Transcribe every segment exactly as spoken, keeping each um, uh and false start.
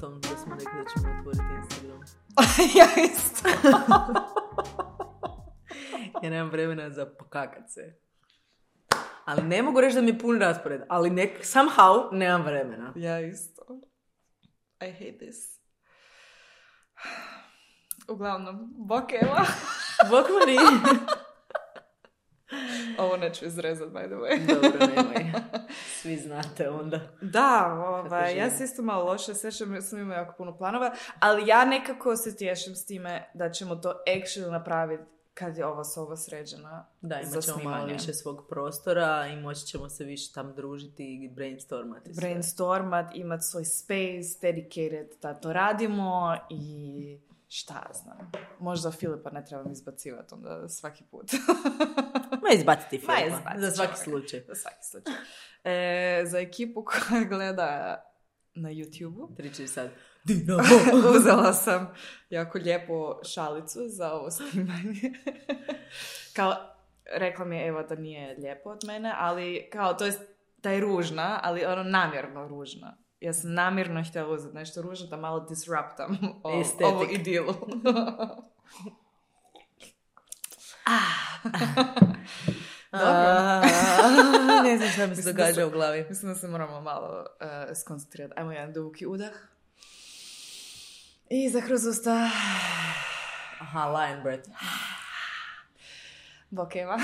tom da smo rekli da ćemo otvoriti Instagram. Ja isto. Ja nemam vremena za pokakat se. Ali ne mogu reći da mi je pun raspored, ali nek, somehow nemam vremena. Ja isto. I hate this. Uglavnom, bok Eva. Bok Mari. Ovo neću izrezat, by the way. Dobro, nemoj. Svi znate onda. Da, ovaj, ja se isto malo loše sjećam, sam imao jako puno planova, ali ja nekako se tješim s time da ćemo to actually napraviti kad je ova soba sređena. Da, imat ćemo malo više svog prostora i moći ćemo se više tam družiti i brainstormati. Brainstormat, imati svoj space, dedicated da to radimo i šta znam. Možda Filipa ne trebam izbacivati onda svaki put. Ma izbaciti Filipa, Ma izbaciti za svaki čovjek. slučaj. Za svaki slučaj. E, za ekipu koja gleda na YouTube-u. Triči sad. Dinamo! Uzela sam jako lijepu šalicu za ovo snimanje. Kao, rekla mi je Eva da nije lijepo od mene, ali kao, to je, da je ružna, ali ono namjerno ružna. Ja sam namjerno htjela uzeti nešto ružno da malo disruptam o, ovu idilu. Dobro. Ne znam šta mi se događa da u glavi. Mislim da se moramo malo uh, skoncentrirati. Ajmo jedan duboki udah. I za kroz usta. Aha, lion breath. Bok Eva.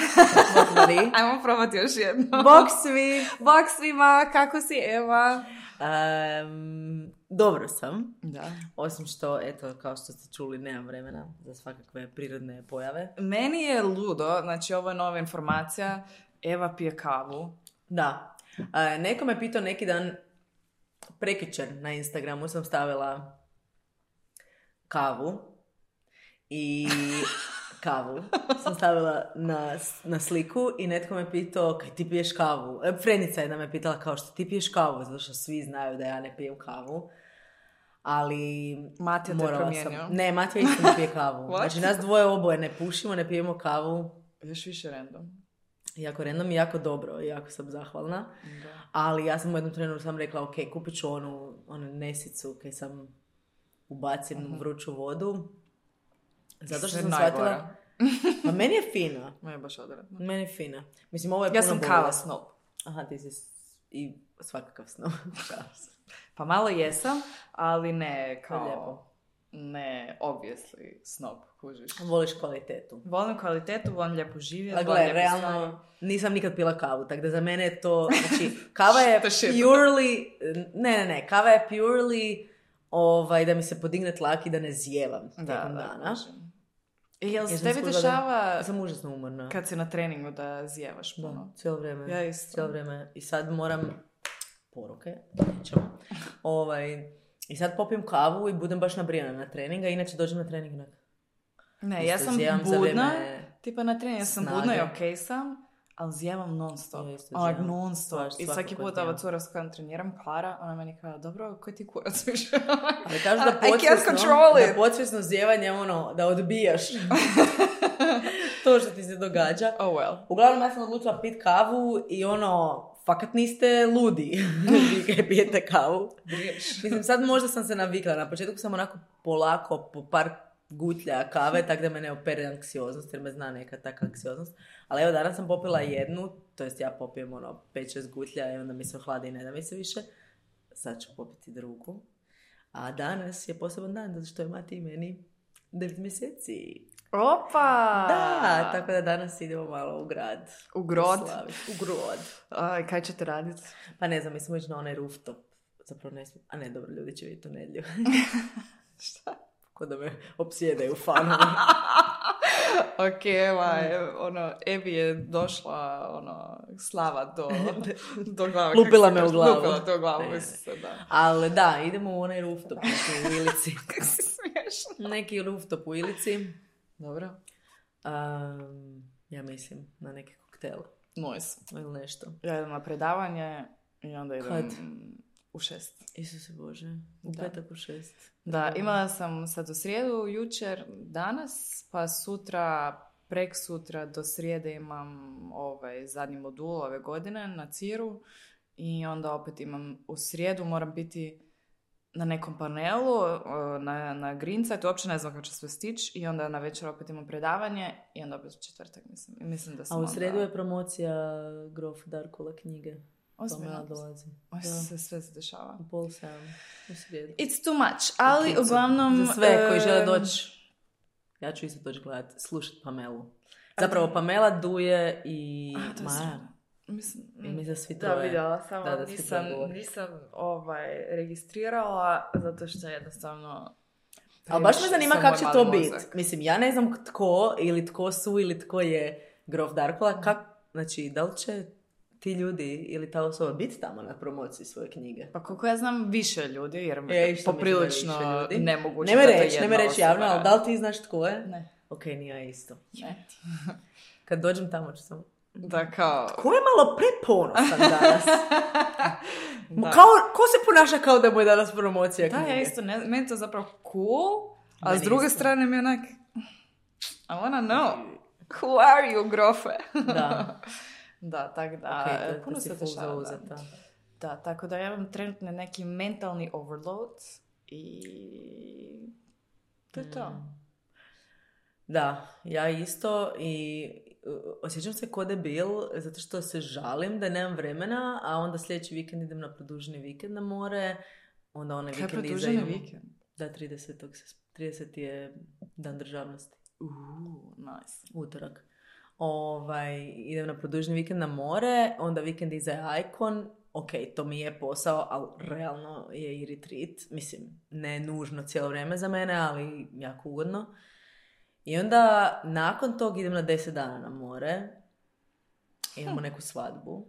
Bok Mari. Ajmo probati još jedno. Bok svi. Bok svima, kako si Eva? Um, dobro sam. Da. Osim što, eto, kao što ste čuli, nemam vremena za svakakve prirodne pojave. Meni je ludo, znači ovo je nova informacija, Eva pije kavu. Da. Uh, neko me pitao neki dan, prekjučer na Instagramu sam stavila kavu i kavu sam stavila na, na sliku i netko me pitao kaj ti piješ kavu. Frenica jedna me pitala kao što ti piješ kavu, zato što svi znaju da ja ne pijem kavu. Ali Matija te je promijenio. Sam... Ne, Matija isto ne pije kavu. Znači nas dvoje oboje ne pušimo, ne pijemo kavu. Još više random. Jako random i jako dobro, jako sam zahvalna. Da. Ali ja sam u jednom trenutku sam rekla, ok, kupit ću onu, onu nesicu kaj sam ubacim uh-huh. u vruću vodu. Zato što sam shvatila... Pa meni je fina. Meni je baš odredno. Meni je fina. Mislim, ovo je ja puno sam bolje. kava snob. Aha, ti si i svakakav snob. Pa malo jesam, ali ne kao... Lijepo. Ne, obviously, snob, kužiš. Voliš kvalitetu. Volim kvalitetu, volim lijepo živjeti. A gle, realno, stvari. Nisam nikad pila kavu, tako da za mene je to, znači, kava je purely, ne, ne, ne, kava je purely, ovaj, da mi se podigne tlak i da ne zijevam tijekom dana. E, jel se tebi dešava... Ja sam užasno umorna. Kad si na treningu da zijevaš puno? Da, cijelo vrijeme. Ja isto. Cijelo vrijeme. I sad moram, poruke, nećemo, ovaj... I sad popijem kavu i budem baš nabrijana na treninga, inače dođem na trening nek. Ne, ja sam budna, tipa na treningu ja sam snage. Budna i okej okay sam, ali zijevam non stop. Ja, non stop. I svaki put ova cura s kojom treniram, Klara, ona meni kao, dobro, koji ti kurac više? Ali kažu da podsvjesno, da podsvjesno zijevanje ono, da odbijaš to što ti se događa. Oh well. Uglavnom ja sam odlučila pit kavu i ono, fakat niste ludi, vi kaj pijete kavu. Mislim, sad možda sam se navikla. Na početku sam onako polako, po par gutlja kave, tako da me ne opere anksioznost, jer me zna neka taka anksioznost. Ali evo, danas sam popila jednu, to jest ja popijem ono pet šest gutlja i onda mi se ohladi i ne da mi se više. Sad ću popiti drugu. A danas je poseban dan, zato što je Mati i meni devet mjeseci. Opa! Da, tako da danas idemo malo u grad. U grod? U grod. Aj, kaj ćete raditi? Pa ne znam, mi smo ići na onaj rooftop. Zapravo ne smijem. A ne, dobro, ljudi će vidjeti u nedjelju. Šta? Ko da me opsjedaju fanovi. Ok, evo, ono, Evi je došla, ono, slava do, do glave. Lupila me u glavu. Lupila to u glavu, mislim se, da. Ali da, idemo u onaj rooftop u Ilici. Kako si smiješna. Neki rooftop u Ilici. Dobro. Um, ja mislim na neki koktel. Nice. Ili nešto. Ja idem na predavanje i onda idem Kad? u šest. Isuse Bože, u Da. petak u šest. Da, imala sam sad u srijedu, jučer, danas, pa sutra, prek sutra do srijede imam ovaj zadnji modul ove godine na Ciru i onda opet imam u srijedu, moram biti na nekom panelu, na, na Green Site, uopće ne znam kako će sve stići i onda na večer opet imam predavanje i onda opet četvrtak, mislim. I mislim da sam A u onda... sredu je promocija Grof Darkola knjige. Ozbiljno. dolazi. Oj, se sve se dešava. U pol sedam. U sredu. It's too much, ali Okay, uglavnom... Za sve koji žele em, doći, ja ću isto doći gledati, slušati Pamelu. Zapravo Pamela, Duje i A, to je Maja. sve. Mislim, I mi za svi da, troje. vidjela samo, Da, da, svi nisam, troje govore. nisam ovaj, registrirala, zato što jednostavno... Ali baš me zanima sam kako moj će mali to mozak. biti. Mislim, ja ne znam tko ili tko su ili tko je Grof Darkola. Kak, znači, da li će ti ljudi ili ta osoba biti tamo na promociji svoje knjige? Pa koliko ja znam više ljudi, jer E, isto poprilično mislim da je više ljudi. nemoguće Ne me da to reći, ne jedna me reći osoba javno, ali radi. da li ti znaš tko je? Ne. Ok, nije ja isto. Ne. Kad dođem tamo ću sam... Da, kao... Ko je malo preponosan danas? Da. Kao, ko se ponaša kao da mu je danas promocija Da, knjige? ja isto, ne, meni je to zapravo cool, a Meni s druge isto. strane mi je onak, I wanna know, who are you, grofe? Da. Da, tak da, Ok, to- to puno si se full dešava. Da. zauzeta. Da, tako da ja imam trenutno neki mentalni overload i to je to. Mm. Da, ja isto i uh, osjećam se ko debil zato što se žalim da nemam vremena, a onda sljedeći vikend idem na produženi vikend na more, onda onaj Kaj je vikend iza produženi imamo- vikend? Da, tridesetog trideseti je dan državnosti. Uuu, nice. Utorak. Ovaj, idem na produženi vikend na more, onda vikend iza je Icon. Ok, to mi je posao, ali realno je i retreat. Mislim, ne nužno cijelo vrijeme za mene, ali jako ugodno. I onda nakon tog idem na deset dana na more. Imamo neku svadbu.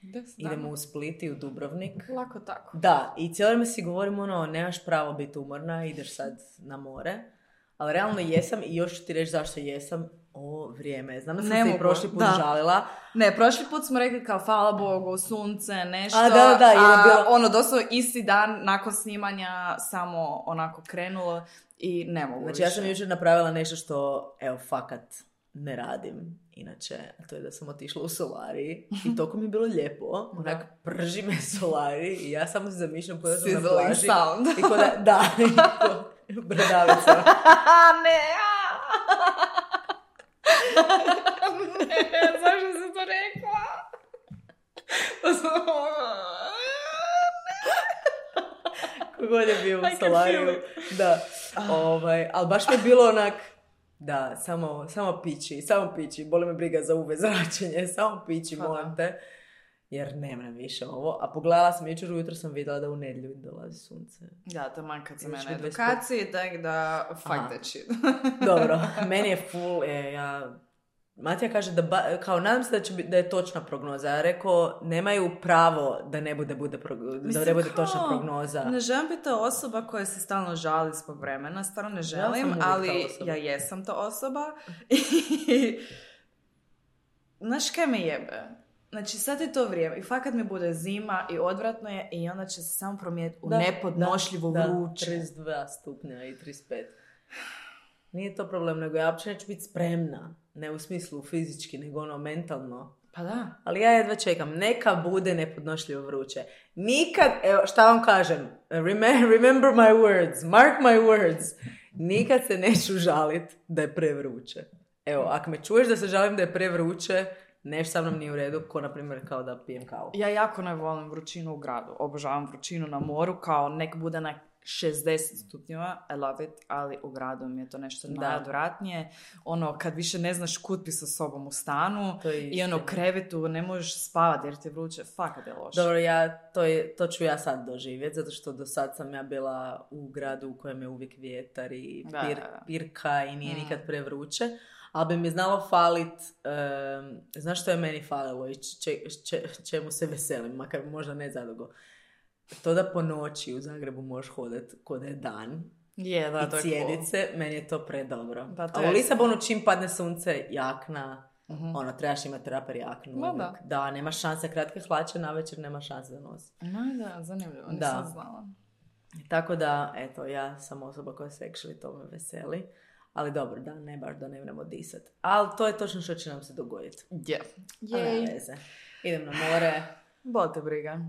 Deset Idemo dana. u Split i u Dubrovnik. Lako tako. Da, i cijelo vrijeme si govorim ono, nemaš pravo biti umorna, ideš sad na more. Ali realno jesam i još ću ti reći zašto jesam. O, vrijeme. Znam da sam Ne se i mogu, prošli put da. žalila. Ne, prošli put smo rekli kao hvala Bogu, sunce, nešto. A, da, da, da, jer je a bilo- ono, doslovno isti dan nakon snimanja samo onako krenulo i ne mogu Znači ja više. sam jučer napravila nešto što, evo, fakat ne radim. Inače, a to je da sam otišla u solari i toliko mi je bilo lijepo. Onak, prži me solari i ja samo se zamišljam kada sam na Sizzling plaži. sound. I ko da, da, i ko bradavica. ne, ne, zašto si to rekla? Kogod je bio u I can solariju. feel Da, ovaj, ali baš mi je bilo onak, da, samo, samo pići, samo pići, boli me briga za U V zračenje, samo pići, Pa molim da. te. Jer nemam više ovo. A pogledala sam jučer ujutro, sam vidjela da u nedjelju dolazi sunce. Da, taman kad sam ja Imaš na mi dvadeset edukaciji, tak da fuck Aha. that shit. Dobro, meni je full, e, ja... Matija kaže da, ba, kao nadam se da, će biti, da je točna prognoza. Ja rekao, nemaju pravo da ne bude, bude prog- da Mislim, ne bude kao, točna prognoza. Ne želim biti ta osoba koja se stalno žali zbog vremena, stvarno ne sam želim, uvijek ta ali osoba. ja jesam ta osoba. I znaš kaj me jebe? Znači sad je to vrijeme i fakat mi bude zima i odvratno je i onda će se samo promijeniti u Da, nepodnošljivo da, vruće. Da, trideset dva stupnja i trideset pet. Nije to problem, nego ja uopće neću biti spremna. Ne u smislu fizički, nego ono mentalno. Pa da. Ali ja jedva čekam. Neka bude nepodnošljivo vruće. Nikad, evo, šta vam kažem? Remember, remember my words. Mark my words. Nikad se neću žalit da je prevruće. Evo, ako me čuješ da se žalim da je prevruće, nešto sa mnom nije u redu, ko na primjer kao da pijem kavu. Ja jako ne volim vrućinu u gradu. Obožavam vrućinu na moru, kao nek bude na šezdeset stupnjeva, I love it, ali u gradu mi je to nešto Da. najodvratnije. Ono, kad više ne znaš kud bi sa sobom u stanu To je i ono, istina. krevetu ne možeš spavati jer ti je vruće, fakat je loše. Dobro, ja, to, je, to ću ja sad doživjeti, zato što do sad sam ja bila u gradu u kojem je uvijek vjetar i Da, pir, da, da. pirka i nije Mm. nikad prevruće. Ali bi mi znalo falit, um, znaš što je meni falilo i če, če, čemu se veselim, makar možda ne zadugo. To da po noći u Zagrebu možeš hodati kod je dan Je, da, to i je cijedit cool. se, meni je to predobro. Da, to A je u Lisabonu čim padne sunce, jakna, Mhm. ono, trebaš imati raper jaknu. Ma uvijek. da. Da, nema šanse, kratke hlače, na večer nema šanse za nos. No, da, zanimljivo, Da. nisam znala. Tako da, eto, ja sam osoba koja se actually to me veseli. Ali dobro, da, ne baš da ne vremo disat. Ali to je točno što će nam se dogoditi. Je. Ali nema veze. Idem na more Bol te briga.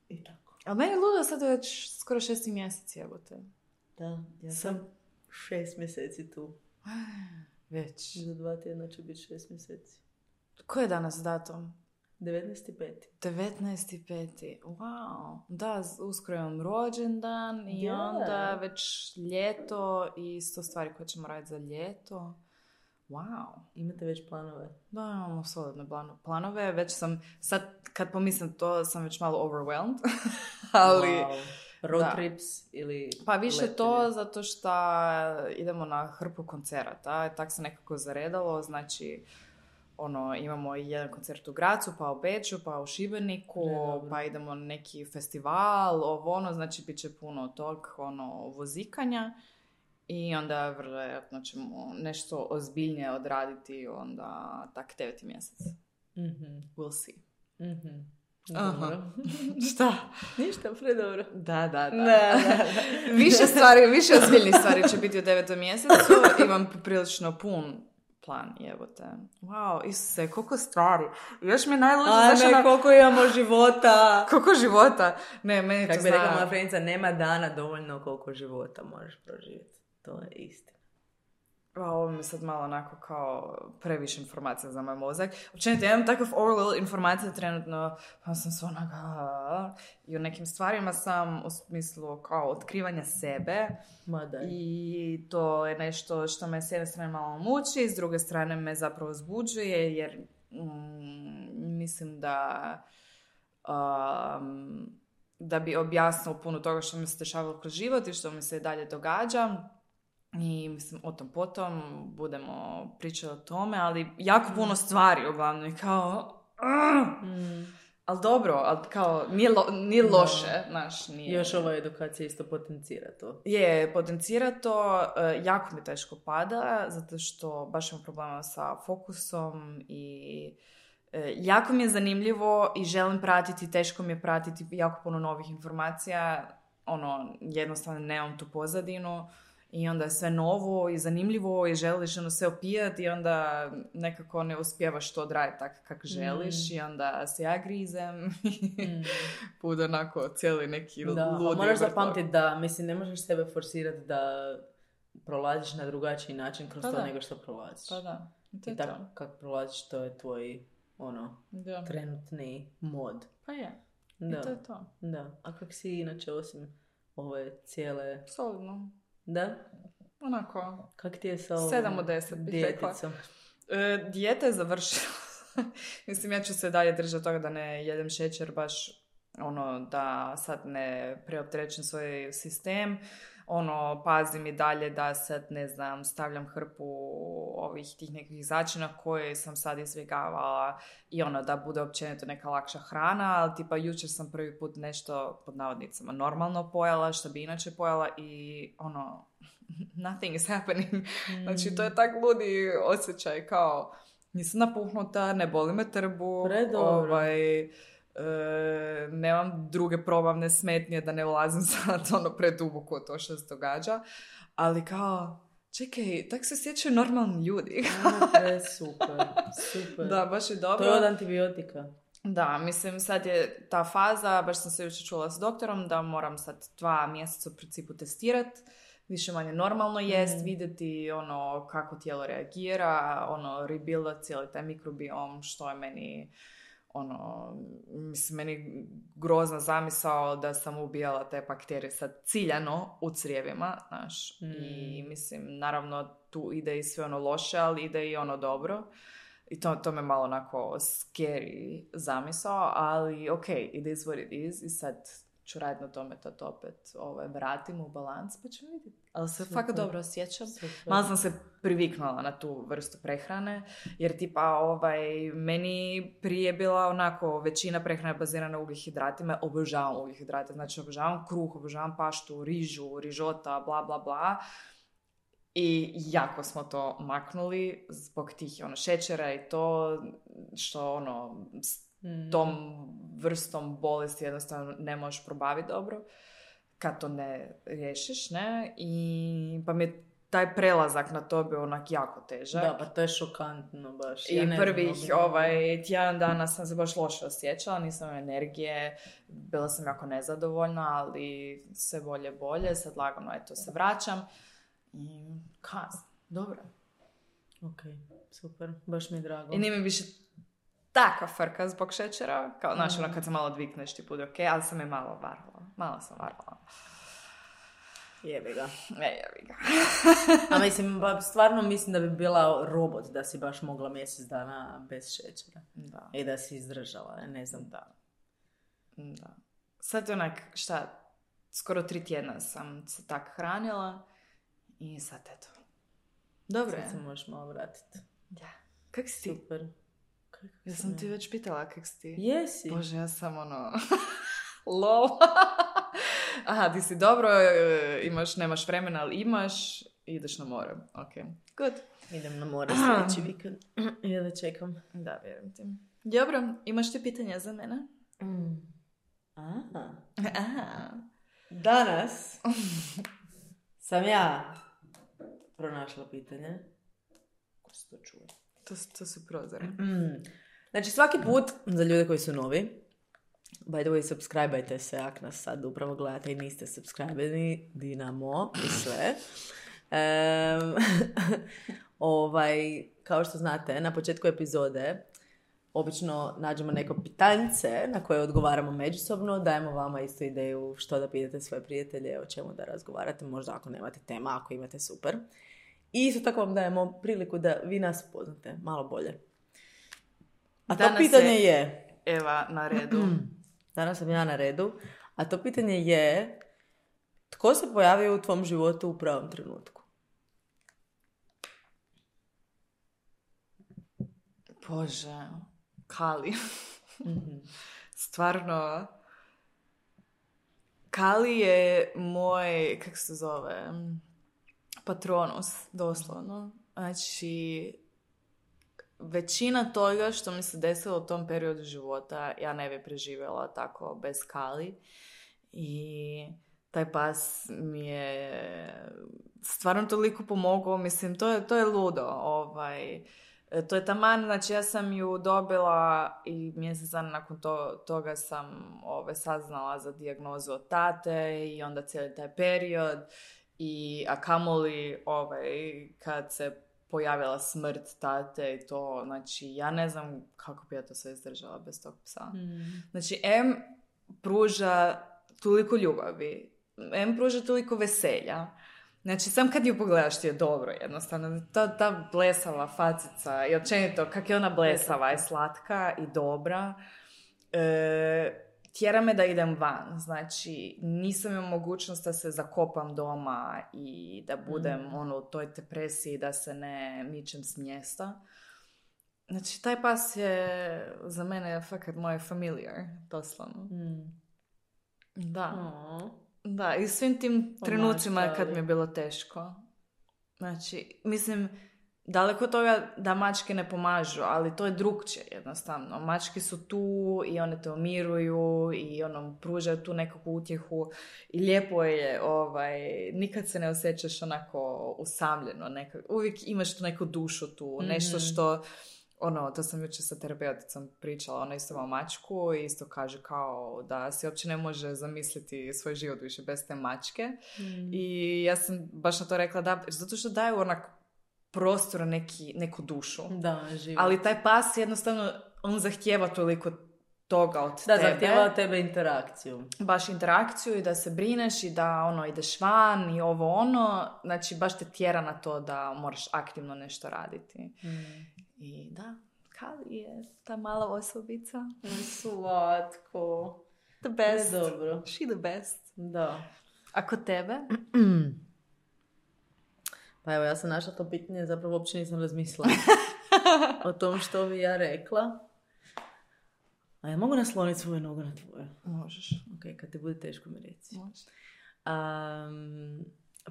i tako. Ali meni je ludo sad već skoro šesti mjesec, jebote. Da, ja sam šest mjeseci tu. Već. Za dva tjedna će biti šest mjeseci. Ko je danas datum? devetnaesti peti devetnaesti peti Wow. Da, uskoro imam rođendan i Yeah. onda već ljeto i sto stvari koje ćemo raditi za ljeto. Wow. Imate već planove? Da, imamo solidne planove. Već sam, sad kad pomislim to, sam već malo overwhelmed. Ali... Wow. Road da. trips ili... Pa više letenje? to zato što idemo na hrpu koncerata. Tak se nekako zaredalo. Znači, ono, imamo i jedan koncert u Gracu, pa u Beču, pa u Šibeniku, Ne, pa idemo na neki festival, ovo ono, znači bit će puno tog, ono, vozikanja. I onda vjerojatno ćemo nešto ozbiljnije odraditi onda tak deveti mjesec. Mm-hmm. We'll see. Mm-hmm. Aha. Šta? Ništa, predobro. Da, da, da. Da, da, da. više stvari, više ozbiljnih stvari će biti u devetom mjesecu. Imam prilično pun plan, jebote. Wow, Isuse, koliko stvari. Još mi je najluđe, A znaš, ne, ona... koliko imamo života. Koliko života? Ne, meni Kako to bi rekla zna... moja frenica, nema dana dovoljno koliko života možeš proživjeti. To je istina. A, ovo mi je sad malo onako kao previše informacija za moj mozak. Općenito, ja imam takav overload informacija trenutno, pa sam sve onaka... I u nekim stvarima sam u smislu kao otkrivanja sebe. Ma da. I to je nešto što me s jedne strane malo muči, s druge strane me zapravo zbuđuje, jer mm, mislim da... Um, da bi objasnilo puno toga što mi se dešavalo kroz život i što mi se dalje događa. I mislim, o tom potom budemo pričati o tome, ali jako puno stvari uglavnom i kao... Mm. Ali dobro, ali kao nije, lo, nije loše, znaš, nije... Još ova edukacija isto potencira to. Je, potencira to, uh, jako mi teško pada, zato što baš imam problema sa fokusom i uh, jako mi je zanimljivo i želim pratiti, teško mi je pratiti jako puno novih informacija, ono, jednostavno nemam tu pozadinu. I onda je sve novo i zanimljivo i želiš ono sve opijati i onda nekako ne uspijevaš to odraditi tako kako želiš mm. i onda se ja grizem i mm. bude onako cijeli neki da, ludi. Moraš zapamtiti da, mislim, ne možeš sebe forsirati da prolaziš na drugačiji način kroz pa to da. nego što prolaziš. Pa da. I, I tako kako prolaziš, to je tvoj ono, da. trenutni mod. Pa je. Da. I to je to. Da. A kako si inače osim ove cijele... Solidno. Da? Onako. Kak ti je sa ovom sedam od deset bih rekla. E, dijeta je završila. Mislim, ja ću se dalje držati toga da ne jedem šećer, baš ono, da sad ne preopterećem svoj sistem. Ono, pazim i dalje da sad, ne znam, stavljam hrpu ovih tih nekih začina koje sam sad izbjegavala i ono, da bude općenito neka lakša hrana, ali tipa jučer sam prvi put nešto, pod navodnicama, normalno pojela, što bi inače pojela i ono, nothing is happening. Mm. Znači, to je tak ludi osjećaj, kao, nisam napuhnuta, ne boli me trbu, ovaj... E, nemam druge probavne smetnje da ne ulazim sad ono preduboko to što se događa, ali kao čekaj, tak se sjećaju normalni ljudi. E, super, super. Da, baš je dobro. To je od antibiotika. Da, mislim sad je ta faza, baš sam se jučer čula s doktorom da moram sad dva mjeseca u principu testirati, više manje normalno jest, mm. vidjeti ono kako tijelo reagira, ono rebuilda cijeli taj mikrobiom, što je meni ono, mislim, meni grozna zamisao da sam ubijala te bakterije sad ciljano u crijevima, znaš, mm. i mislim, naravno tu ide i sve ono loše, ali ide i ono dobro. I to, to me malo onako scary zamisao, ali ok, it is what it is i sad ću raditi na tome da to opet ovaj, vratim u balans, pa ću vidjeti. Ali se fakat dobro osjećam. Super. Malo sam se priviknula na tu vrstu prehrane, jer tipa ovaj, meni prije bila onako većina prehrane bazirana na ugljihidratima, obožavam ugljihidrate, znači obožavam kruh, obožavam paštu, rižu, rižota, bla bla bla. I jako smo to maknuli zbog tih ono, šećera i to što ono... tom vrstom bolesti jednostavno ne možeš probaviti dobro kad to ne riješiš, ne? I pa mi je taj prelazak na to bio onak jako težak. Da, pa to je šokantno baš. I ja ne prvih znam, ovaj, tjedan dana sam se baš loše osjećala, nisam imala energije, bila sam jako nezadovoljna, ali sve bolje bolje, sad lagano eto se vraćam. I kas, dobro. Ok, super, baš mi je drago. I nije mi više taka frka zbog šećera, kao, znaš, ono kad se malo odvikneš ti bude ok, ali sam je malo varvala, malo sam varvala. Jebi ga. E, jebi ga. A mislim, ba, stvarno mislim da bi bila robot da si baš mogla mjesec dana bez šećera. Da. I da si izdržala, ne znam. Da. Da. Sad onak, šta, skoro tri tjedna sam se tak hranila i sad eto. Dobro Sad je. se možeš malo vratiti. Da. Kak si ti? Super. Kako Ja sam ti već pitala kak si ti. Jesi. Bože, ja sam ono... Lol. Aha, ti si dobro, imaš, nemaš vremena, ali imaš i ideš na more. Ok, good. Idem na more sljedeći vikend. Ja da čekam. Da, vjerujem ti. Dobro, imaš ti pitanja za mene? Mm. Aha. Aha. Danas sam ja pronašla pitanje. Ko se to čuje? To, to su prozore. Mm. Znači svaki put, za ljude koji su novi, by the way, subscribe-ajte se ako nas sad upravo gledate i niste subscribe-ani, Dinamo i sve. Um, ovaj, kao što znate, na početku epizode obično nađemo neko pitanje na koje odgovaramo međusobno, dajemo vama isto ideju što da pitate svoje prijatelje, o čemu da razgovarate, možda ako nemate tema, ako imate super. I isto tako vam dajemo priliku da vi nas poznate malo bolje. A Danas to pitanje je... je Eva na redu. Danas sam ja na redu. A to pitanje je... Tko se pojavio u tvom životu u pravom trenutku? Bože, Kali. Mm-hmm. Stvarno, Kali je moj, kako se zove, patronus, doslovno. Znači, većina toga što mi se desilo u tom periodu života, ja ne bi preživjela tako bez Kali. I taj pas mi je stvarno toliko pomogao. Mislim, to je, to je ludo. Ovaj, to je taman, znači ja sam ju dobila i mjesec dana nakon to, toga sam ovaj, saznala za dijagnozu od tate i onda cijeli taj period. I, a kamoli ovaj, kad se pojavila smrt tate i to, znači ja ne znam kako bi ja to sve izdržala bez tog psa. Mm. Znači, em pruža toliko ljubavi, em pruža toliko veselja. Znači, sam kad ju pogledaš ti je dobro jednostavno. Ta, ta blesava facica i općenito kak je ona blesava i slatka i dobra. E, tjera me da idem van. Znači, nisam imala mogućnost da se zakopam doma i da budem mm. ono, u toj depresiji, da se ne mičem s mjesta. Znači, taj pas je za mene fakat moj familiar, doslovno. Mm. Da. Aww. Da, i svim tim trenucima kad mi je bilo teško. Znači, mislim, daleko toga da mačke ne pomažu, ali to je drugčije jednostavno. Mačke su tu i one te umiruju i ono, pružaju tu nekakvu utjehu i lijepo je, ovaj, nikad se ne osjećaš onako usamljeno. Nekak, uvijek imaš tu neku dušu tu, mm-hmm. nešto što... Ono, to sam jučer sa terapeuticom pričala, ona isto ima mačku i isto kaže kao da se uopće ne može zamisliti svoj život više bez te mačke. Mm. I ja sam baš na to rekla da, zato što daju onak prostor neki, neku dušu. Da, život. Ali taj pas jednostavno, on zahtijeva toliko toga od da, tebe. Da, zahtijeva od tebe interakciju. Baš interakciju i da se brineš i da ono, ideš van i ovo ono. Znači, baš te tjera na to da moraš aktivno nešto raditi. Mm. I da, Kali je ta mala osobica. Slatko. The best. Ne, dobro. She the best. Da. A kod tebe? Pa evo, ja sam našla to pitanje, zapravo uopće nisam razmislila o tom što bi ja rekla. A ja mogu nasloniti svoju nogu na tvoju? Možeš. Ok, kad ti bude teško mi reci. Možeš. Um,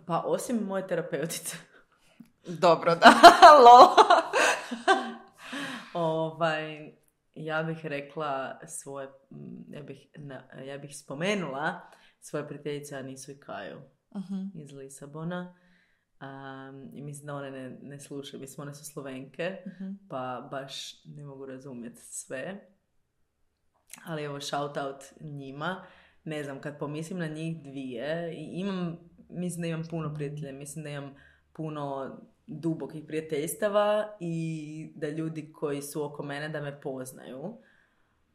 pa osim moje terapeutice. Dobro, da. Lol. ovaj, ja bih rekla svoje, ja bih, na, ja bih spomenula svoje prijateljice Anisu i Kaju uh-huh. iz Lisabona. Um, I mislim da one ne, ne slušaju. Mislim, one su Slovenke, Mhm. pa baš ne mogu razumjeti sve. Ali evo, shout out njima. Ne znam, kad pomislim na njih dvije, i imam, mislim da imam puno prijatelja, mislim da imam puno dubokih prijateljstava i da ljudi koji su oko mene da me poznaju.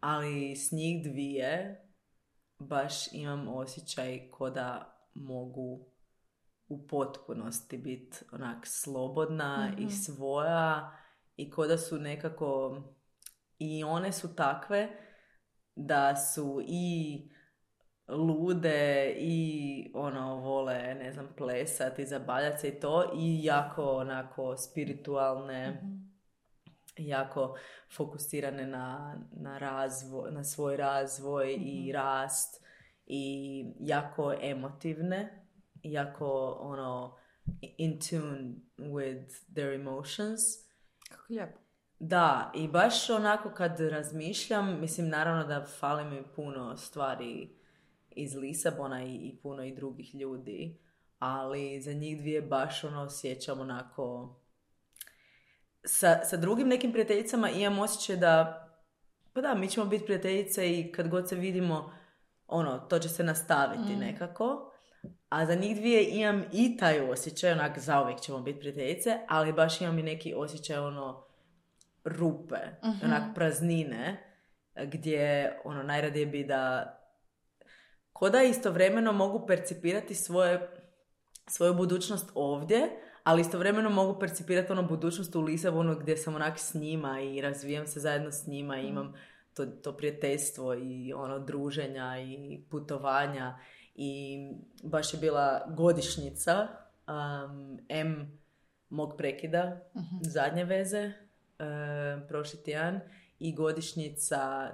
Ali s njih dvije baš imam osjećaj ko da mogu u potpunosti biti onak slobodna Mhm. i svoja i ko da su nekako i one su takve da su i lude i ono vole, ne znam, plesati, zabavljati se i to i jako onako spiritualne, Mhm. jako fokusirane na, na razvoj, na svoj razvoj i Mhm. rast i jako emotivne, jako ono in tune with their emotions. Kako lijepo. Da, i baš onako kad razmišljam, mislim naravno da fali mi puno stvari iz Lisabona i, i puno i drugih ljudi, ali za njih dvije baš ono osjećam onako sa, sa drugim nekim prijateljicama imam osjećaj da pa da, mi ćemo biti prijateljice i kad god se vidimo ono, to će se nastaviti Mm. nekako. A za njih dvije imam i taj osjećaj, onak zauvijek ćemo biti prijateljice, ali baš imam i neki osjećaj ono rupe, Mhm. onak praznine, gdje ono najradije bi da ko da istovremeno mogu percipirati svoje, svoju budućnost ovdje, ali istovremeno mogu percipirati ono budućnost u Lisabonu gdje sam onak s njima i razvijam se zajedno s njima i imam to, to prijateljstvo i ono druženja i putovanja i baš je bila godišnjica um, M mog prekida, Mhm. zadnje veze, um, prošli tjedan i godišnjica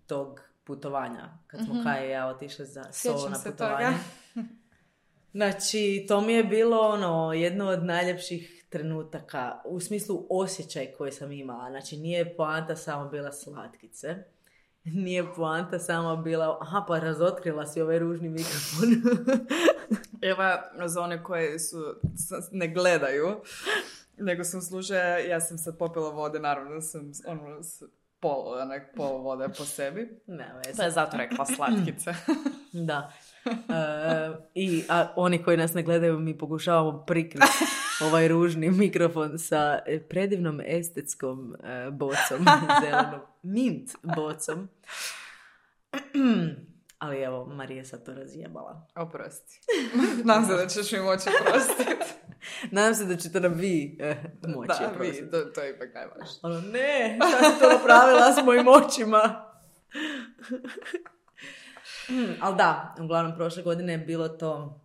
tog putovanja, kad smo Mhm. Kaja i ja otišli za solo Sjećam na se putovanje. toga. Znači, to mi je bilo ono, jedno od najljepših trenutaka, u smislu osjećaj koji sam imala. Znači, nije poanta samo bila slatkice. Nije poanta samo bila, aha, pa razotkrila si ovaj ružni mikrofon. Eva, za one koje su, s- ne gledaju, nego sam slušaju, ja sam sad popila vode, naravno da sam ono, s- pol, onak, pol vode po sebi. Ne, Pa veze. je zato rekla slatkice. Da. E, I a oni koji nas ne gledaju, mi pokušavamo prikriti ovaj ružni mikrofon sa e, predivnom estetskom e, bocom, zelenom, mint bocom. Ali evo, Marija sad to razjebala. Oprosti. Nadam se da ćeš mi moći oprostiti. Nadam se da ćete nam vi eh, moći Da, vi, oprostiti. to, to je ipak najvažnije. Ono, ne, šta si to napravila s mojim očima? Hmm, ali da, uglavnom prošle godine je bilo to,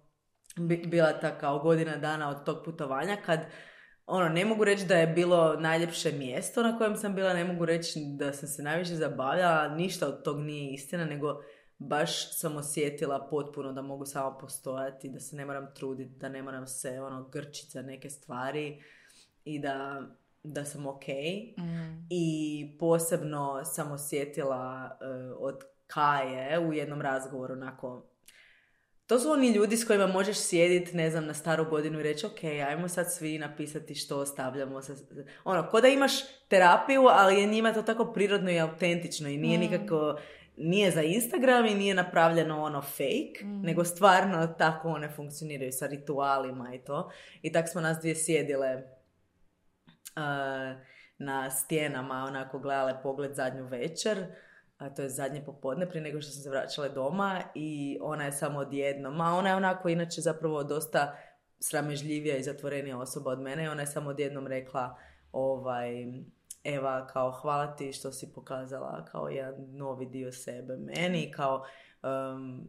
bi- bila ta kao godina dana od tog putovanja kad, ono, ne mogu reći da je bilo najljepše mjesto na kojem sam bila, ne mogu reći da sam se najviše zabavljala, ništa od tog nije istina, nego baš sam osjetila potpuno da mogu samo postojati, da se ne moram truditi, da ne moram se ono grčiti za neke stvari i da, da sam ok. Mm. I posebno sam osjetila uh, od Kaje u jednom razgovoru onako, to su oni ljudi s kojima možeš sjediti, ne znam, na staru godinu i reći ok, ajmo sad svi napisati što ostavljamo. Sa, ono, ko da imaš terapiju, ali je njima to tako prirodno i autentično i nije Mm. nikako, nije za Instagram i nije napravljeno ono fake, Mm. nego stvarno tako one funkcioniraju sa ritualima i to. I tak smo nas dvije sjedile uh, na stijenama, onako gledale Pogled zadnju večer, a to je zadnje popodne prije nego što sam se vraćala doma i ona je samo odjednom, a ona je onako inače zapravo dosta sramežljivija i zatvorenija osoba od mene i ona je samo odjednom rekla ovaj, Eva, kao hvala ti što si pokazala kao jedan novi dio sebe meni, kao um,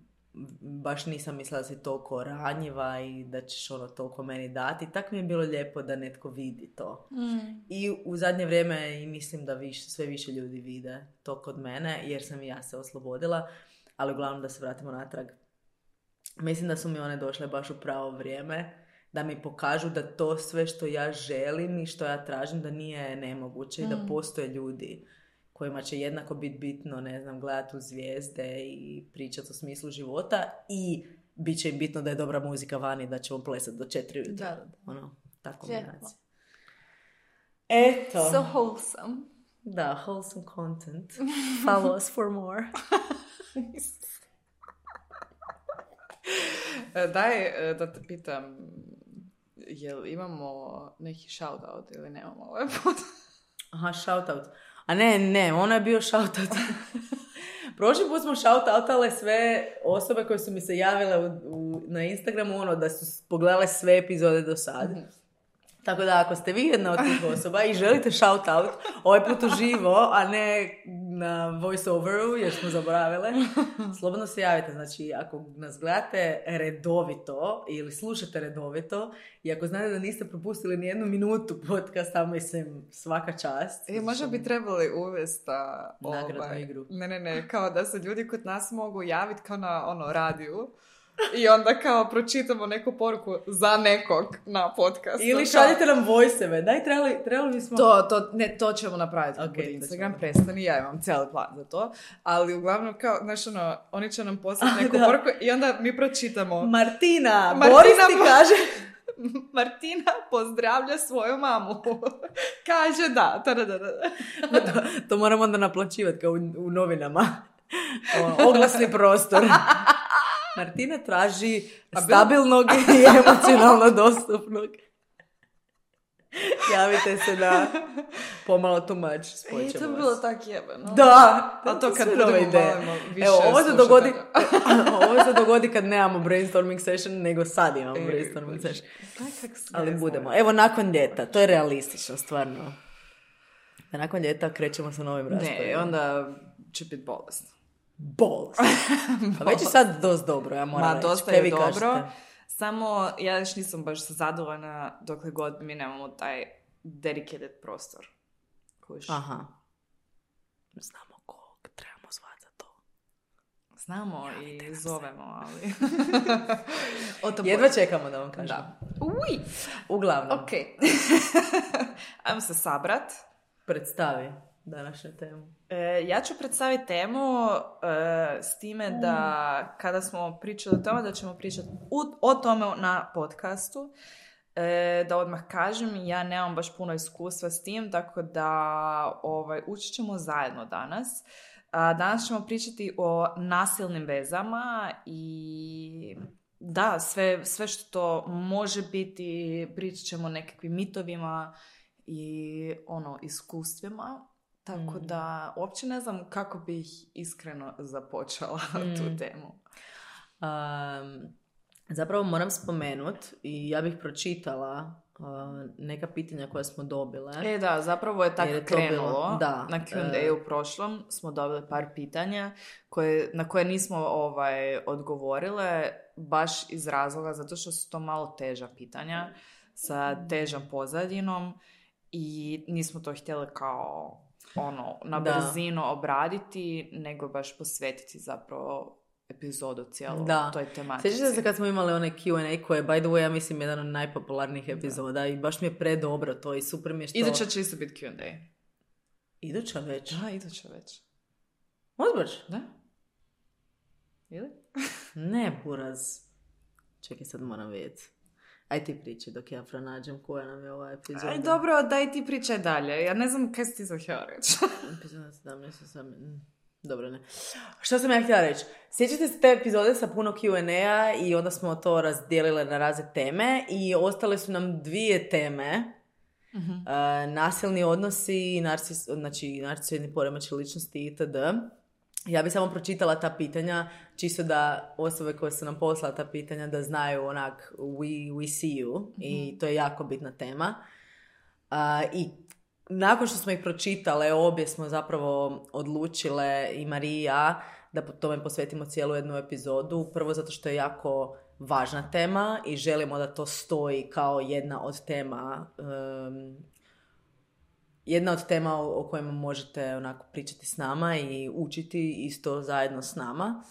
baš nisam mislila da si toliko ranjiva i da ćeš ono toliko meni dati. Tako mi je bilo lijepo da netko vidi to. Mm. I u zadnje vrijeme i mislim da više, sve više ljudi vide to kod mene, jer sam i ja se oslobodila, ali uglavnom da se vratimo natrag. Mislim da su mi one došle baš u pravo vrijeme, da mi pokažu da to sve što ja želim i što ja tražim da nije nemoguće i da Mm. postoje ljudi kojima će jednako biti bitno, ne znam, gledati u zvijezde i pričati o smislu života i bit će im bitno da je dobra muzika vani, da ćemo plesati do četiri ujutro. Da, da. Ono, tako Lijepo. kombinacija. Eto. So wholesome. Da, wholesome content. Follow us for more. Daj da te pitam, jel imamo neki shoutout ili nemamo ovaj put? Aha, shoutout. A ne, ne, ono je bio shoutout. Prošli put smo shoutoutale sve osobe koje su mi se javile u, u, na Instagramu, ono, da su pogledale sve epizode do sad. Mm-hmm. Tako da, ako ste vi jedna od tih osoba i želite shoutout, ovaj put uživo, a ne na voice-overu, jer smo zaboravile, slobodno se javite. Znači, ako nas gledate redovito ili slušate redovito i ako znate da niste propustili ni jednu minutu podcasta, mislim, svaka čast. E, možda bi trebali uvesti nagradnu ovaj, igru. Ne, ne, ne, kao da se ljudi kod nas mogu javiti kao na ono, radiju. I onda kao pročitamo neku poruku za nekog na podcastu. Ili šaljite nam voice-eve. Daj, trebali, trebali bismo... To, to, ne, to ćemo napraviti. Okay, Instagram prestani, ja imam cijeli plan za to. Ali uglavnom, kao, znaš ono, oni će nam poslati neku da. poruku i onda mi pročitamo. Martina, Martina Boris ti kaže... Martina pozdravlja svoju mamu. Kaže da. da, da, da. to, to moramo onda naplaćivati kao u, u novinama. O, oglasni prostor. Martina traži stabilnog i emocionalno dostupnog. Javite se na pomalo too much. E, to bi bilo tako jebeno. Da. A to kad budemo malimo više Evo, ovo se, dogodi, ovo se dogodi kad nemamo brainstorming session, nego sad imamo e, brainstorming session. Ali budemo. Evo, nakon ljeta. To je realistično, stvarno. Da nakon ljeta krećemo sa novim raspravama. Ne, onda će biti bolest. Bolest. Pa već je sad dosta dobro, ja moram Ma, reći. dosta je dobro. Kažete? Samo ja još nisam baš zadovoljna dokle god mi nemamo taj dedicated prostor. Kojiš. Aha. Znamo kog trebamo zvati za to. Znamo ja, i zovemo, ali... Jedva čekamo da vam kažem. Da. Uj! Uglavnom. Ok. Ajmo se sabrat. Predstavi današnju temu. E, ja ću predstaviti temu e, s time da kada smo pričali o tome, da ćemo pričati u, o tome na podcastu, e, da odmah kažem, ja nemam baš puno iskustva s tim, tako da ovaj, učit ćemo zajedno danas. A, danas ćemo pričati o nasilnim vezama i da, sve, sve što može biti, pričat ćemo o nekakvim mitovima i ono, iskustvima. Tako mm. da, uopće ne znam kako bih iskreno započela mm. tu temu. Um, zapravo moram spomenut i ja bih pročitala uh, neka pitanja koja smo dobile. E da, zapravo je tako je krenulo. Bilo, da, na Q and A uh, u prošlom smo dobili par pitanja koje, na koje nismo ovaj, odgovorile baš iz razloga zato što su to malo teža pitanja sa težom pozadinom i nismo to htjeli kao... ono, na brzinu da. obraditi, nego baš posvetiti zapravo epizodu cijelu da. toj tematici. Sjećate se kad smo imali onaj Q and A koje je, by the way, ja mislim, jedan od najpopularnijih epizoda da. i baš mi je predobro to i super mi je što... Iduća će isto biti Q and A. Iduća već? Da, iduća već. Ozbač? Da. Ili? Ne, buraz. Čekaj, sad moram vidjeti. Aj ti priči dok ja pronađem koja nam je ova epizoda. Aj dobro, daj ti pričaj dalje. Ja ne znam kaj si ti zahtjela reći. Epizoda sedamnaest, osamnaest Dobro, ne. Što sam ja htjela reći? Sjećate se te epizode sa puno Q and A i onda smo to razdijelile na razne teme i ostale su nam dvije teme. Uh-huh. Uh, nasilni odnosi, narcis, znači narcisoidni poremećaj ličnosti itd. Ja bi samo pročitala ta pitanja, čisto da osobe koje su nam poslala ta pitanja da znaju onak we, we see you mm-hmm. i to je jako bitna tema. Uh, I nakon što smo ih pročitale, obje smo zapravo odlučile i Marija da po tome posvetimo cijelu jednu epizodu. Prvo zato što je jako važna tema i želimo da to stoji kao jedna od tema um, jedna od tema o, o kojima možete onako pričati s nama i učiti isto zajedno s nama.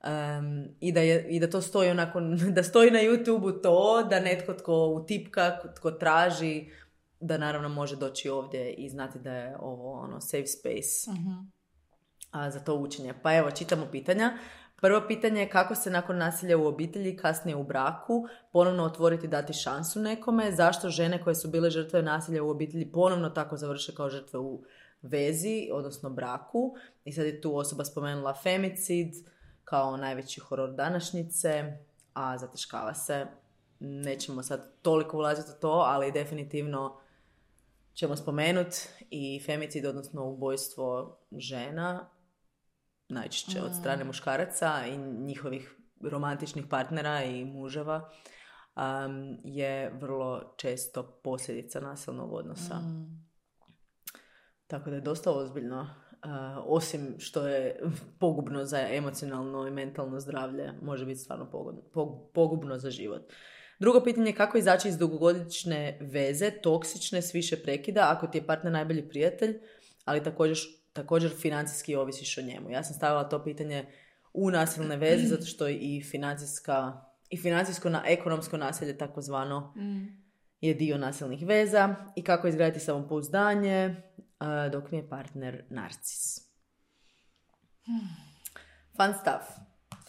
Um, i, da je, i da to stoji onako, da stoji na YouTubeu to, da netko tko utipka, tko traži, da naravno može doći ovdje i znati da je ovo ono safe space uh-huh. a, za to učenje. Pa evo, čitamo pitanja. Prvo pitanje je kako se nakon nasilja u obitelji, kasnije u braku, ponovno otvoriti, dati šansu nekome. Zašto žene koje su bile žrtve nasilja u obitelji ponovno tako završe kao žrtve u vezi, odnosno braku. I sad je tu osoba spomenula femicid kao najveći horor današnjice, a zataškava se. Nećemo sad toliko ulaziti u to, ali definitivno ćemo spomenuti i femicid, odnosno ubojstvo žena, najčešće od strane muškaraca i njihovih romantičnih partnera i muževa, um, je vrlo često posljedica nasilnog odnosa. Mm. Tako da je dosta ozbiljno, uh, osim što je pogubno za emocionalno i mentalno zdravlje, može biti stvarno pogodno, pogubno za život. Drugo pitanje je kako izaći iz dugogodišnje veze, toksične, s više prekida, ako ti je partner najbolji prijatelj, ali također, također financijski ovisiš o njemu. Ja sam stavila to pitanje u nasilne veze, zato što i financijska i financijsko na ekonomsko nasilje takozvano mm. je dio nasilnih veza i kako izgraditi samopouzdanje uh, dok mi je partner narcis. Fun stuff.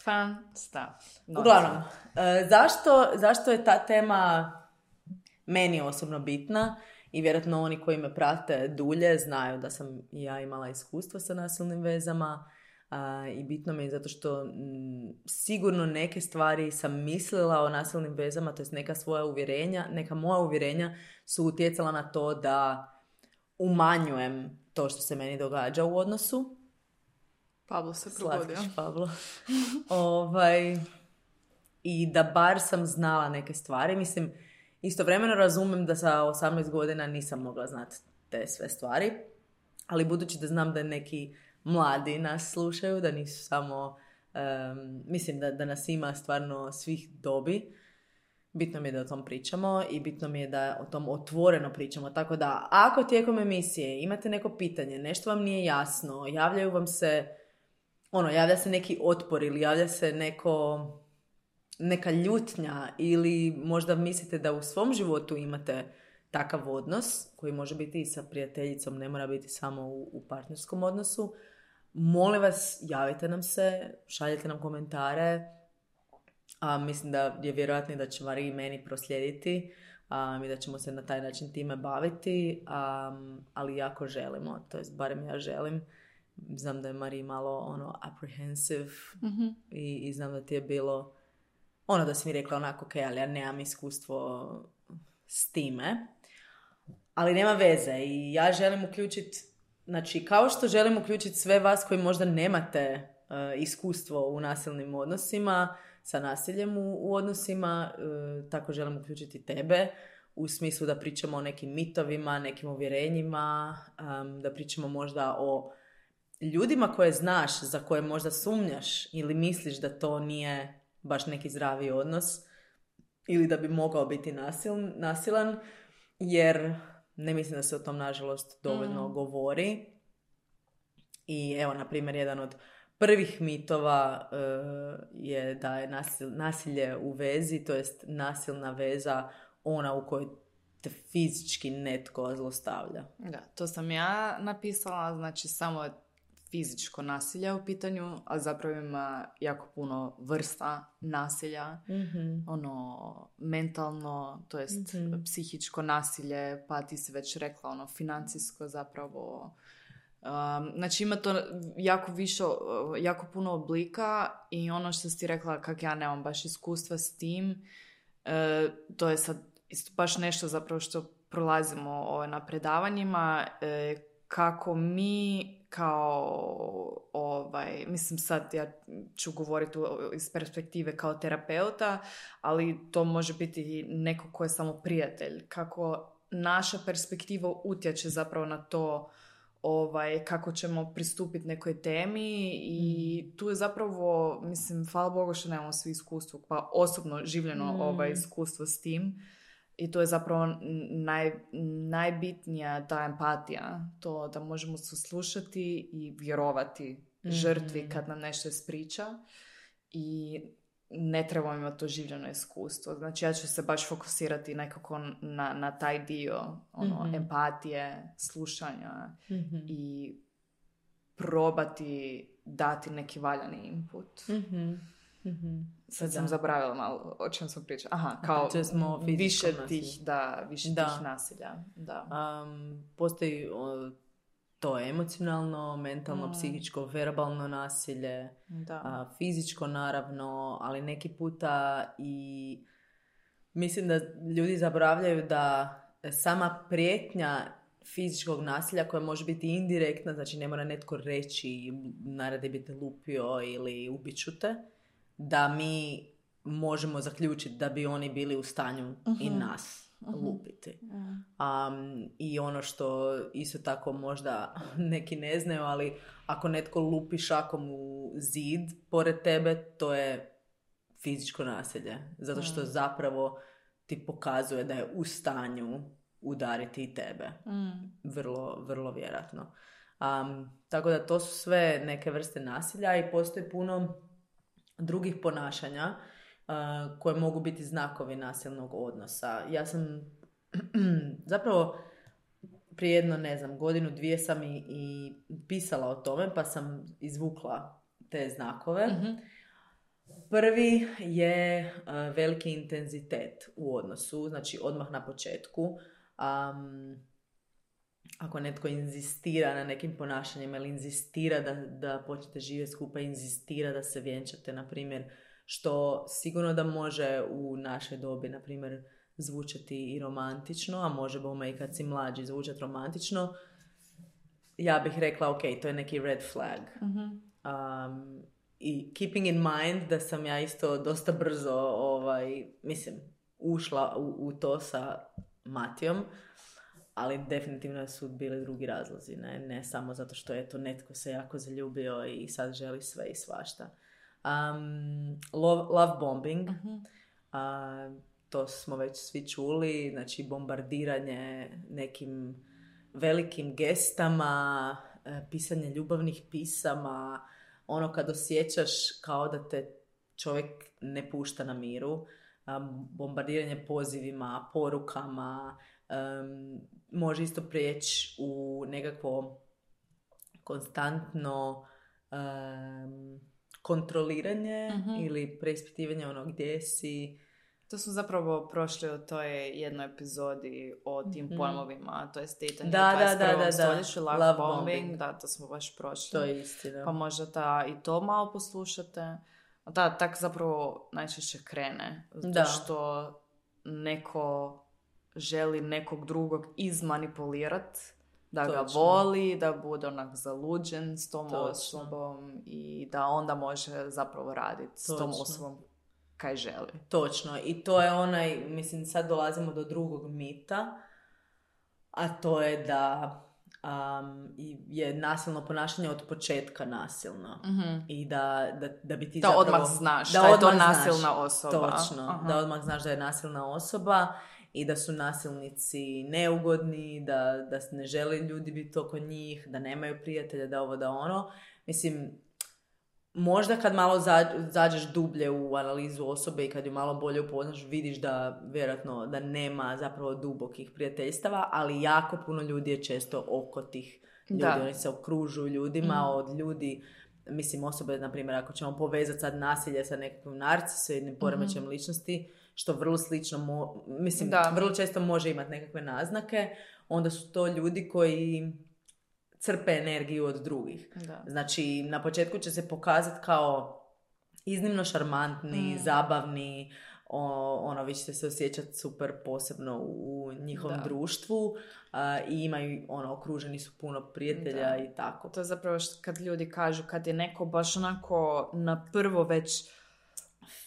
Fun stuff. Not Uglavnom, uh, zašto, zašto je ta tema meni osobno bitna i vjerojatno oni koji me prate dulje znaju da sam i ja imala iskustva sa nasilnim vezama. Uh, I bitno mi je zato što m, sigurno neke stvari sam mislila o nasilnim vezama, to jest neka svoja uvjerenja, neka moja uvjerenja su utjecala na to da umanjujem to što se meni događa u odnosu. Pablo se probudio. Slatkiš, Pablo. ovaj, I da bar sam znala neke stvari. Mislim, istovremeno razumijem da sa osamnaest godina nisam mogla znati te sve stvari, ali budući da znam da neki mladi nas slušaju, da nisu samo, um, mislim da, da nas ima stvarno svih dobi, bitno mi je da o tom pričamo i bitno mi je da o tom otvoreno pričamo. Tako da, ako tijekom emisije imate neko pitanje, nešto vam nije jasno, javljaju vam se, ono, javlja se neki otpor ili javlja se neko, neka ljutnja ili možda mislite da u svom životu imate takav odnos, koji može biti i sa prijateljicom, ne mora biti samo u, u partnerskom odnosu, molim vas, javite nam se, šaljite nam komentare. A, mislim da je vjerojatno da će Mariji i meni proslijediti a, i da ćemo se na taj način time baviti, a, ali jako želimo, to jest barem ja želim. Znam da je Mariji malo ono apprehensive mm-hmm. i, i znam da ti je bilo ono da si mi rekla onako ok, ali ja nemam iskustvo s time, ali nema veze i ja želim uključiti, znači kao što želim uključiti sve vas koji možda nemate uh, iskustvo u nasilnim odnosima, sa nasiljem u, u odnosima, uh, tako želim uključiti tebe u smislu da pričamo o nekim mitovima, nekim uvjerenjima, um, da pričamo možda o ljudima koje znaš, za koje možda sumnjaš ili misliš da to nije baš neki zdravi odnos ili da bi mogao biti nasil, nasilan, jer ne mislim da se o tom nažalost dovoljno mm. govori. I evo, na primjer, jedan od prvih mitova uh, je da je nasil, nasilje u vezi, to jest nasilna veza ona u kojoj te fizički netko zlostavlja. Da, to sam ja napisala, znači samo fizičko nasilje u pitanju, a zapravo ima jako puno vrsta nasilja, mm-hmm. ono, mentalno, to jest mm-hmm. psihičko nasilje, pa ti si već rekla, ono, financijsko zapravo. Um, znači ima to jako više, jako puno oblika i ono što si ti rekla, kak ja nemam baš iskustva s tim, e, to je sad isto baš nešto zapravo što prolazimo ovaj, na predavanjima, e, kako mi kao, ovaj, mislim sad ja ću govoriti iz perspektive kao terapeuta, ali to može biti neko ko je samo prijatelj. Kako naša perspektiva utječe zapravo na to ovaj, kako ćemo pristupiti nekoj temi i mm. tu je zapravo, mislim, hvala Bogu što nemamo svi iskustvo, pa osobno življeno mm. ovaj, iskustvo s tim. I to je zapravo naj, najbitnija ta empatija, to da možemo saslušati i vjerovati mm-hmm. žrtvi kad nam nešto ispriča i ne trebamo imati to življeno iskustvo. Znači ja ću se baš fokusirati nekako na, na taj dio ono, mm-hmm. empatije, slušanja mm-hmm. i probati dati neki valjani input. Mm-hmm. Mm-hmm. Sad Da. sam zaboravila malo o čem sam pričala. Aha, kao smo više nasilju. tih, da, više Da. tih nasilja. Da. Um, postoji o, to emocionalno, mentalno, Mm. psihičko, verbalno nasilje, Da. a, fizičko naravno, ali neki puta i mislim da ljudi zaboravljaju da sama prijetnja fizičkog nasilja koja može biti indirektna, znači ne mora netko reći naradi bi te lupio ili ubit ću te, da mi možemo zaključiti da bi oni bili u stanju uh-huh. i nas uh-huh. lupiti. Uh-huh. Um, I ono što isto tako možda neki ne znaju, ali ako netko lupi šakom u zid pored tebe, to je fizičko nasilje. Zato što uh-huh. zapravo ti pokazuje da je u stanju udariti i tebe. Mm. Vrlo, vrlo vjerojatno. Um, tako da to su sve neke vrste nasilja i postoji puno drugih ponašanja uh, koje mogu biti znakovi nasilnog odnosa. Ja sam zapravo prije jedno, ne znam, godinu, dvije sam i, i pisala o tome, pa sam izvukla te znakove. Mm-hmm. Prvi je uh, veliki intenzitet u odnosu, znači odmah na početku. Um, ako netko inzistira na nekim ponašanjima ili inzistira da, da počnete živjeti skupa, inzistira da se vjenčate, na primjer, što sigurno da može u našoj dobi, na primjer, zvučati i romantično, a može bome i kad si mlađi zvučati romantično, ja bih rekla, ok, to je neki red flag. Mm-hmm. Um, I keeping in mind da sam ja isto dosta brzo, ovaj, mislim, ušla u, u to sa Matijom, ali definitivno su bili drugi razlozi, ne, ne samo zato što je to netko se jako zaljubio i sad želi sve i svašta. Um, love, love bombing, uh-huh. uh, to smo već svi čuli, znači bombardiranje nekim velikim gestama, uh, pisanje ljubavnih pisama, ono kad osjećaš kao da te čovjek ne pušta na miru, um, bombardiranje pozivima, porukama, um, može isto prijeći u nekakvo konstantno um, kontroliranje uh-huh. ili preispitivanje ono gdje si. To smo zapravo prošli u toj jednoj epizodi o tim mm-hmm. pojmovima, to je pitanje da, u dvadeset prvom da, da, stoljeću, da. love, love bombing, bombing, da, to smo baš prošli. To je istina. Pa možda ta, i to malo poslušate. Da, tak zapravo najčešće krene, zato da. što neko želi nekog drugog izmanipulirati, da Točno. ga voli, da bude onak zaluđen s tom Točno. osobom i da onda može zapravo raditi s tom osobom kaj želi. Točno. I to je onaj, mislim, sad dolazimo do drugog mita, a to je da um, je nasilno ponašanje od početka nasilno. Mm-hmm. I da, da, da bi ti da zapravo... odmah znaš da, da je odmah to nasilna znaš, osoba. Točno. Aha. Da odmah znaš da je nasilna osoba i da su nasilnici neugodni, da, da ne žele ljudi biti oko njih, da nemaju prijatelja, da ovo, da ono. Mislim, možda kad malo zađeš dublje u analizu osobe i kad ju malo bolje upoznaš, vidiš da vjerojatno da nema zapravo dubokih prijateljstava, ali jako puno ljudi je često oko tih ljudi. Da. Oni se okružuju ljudima, mm. od ljudi, mislim osobe, na primjer, ako ćemo povezati sad nasilje sa nekakvim narcisoidnim poremećajem mm-hmm. ličnosti, što vrlo slično, mo- mislim, da. vrlo često može imati nekakve naznake, onda su to ljudi koji crpe energiju od drugih. Da. Znači, na početku će se pokazati kao iznimno šarmantni, mm. zabavni, o, ono, vi ćete se osjećati super posebno u njihovom da. društvu uh, i imaju, ono, okruženi su puno prijatelja da. i tako. To je zapravo što kad ljudi kažu, kad je neko baš onako na prvo već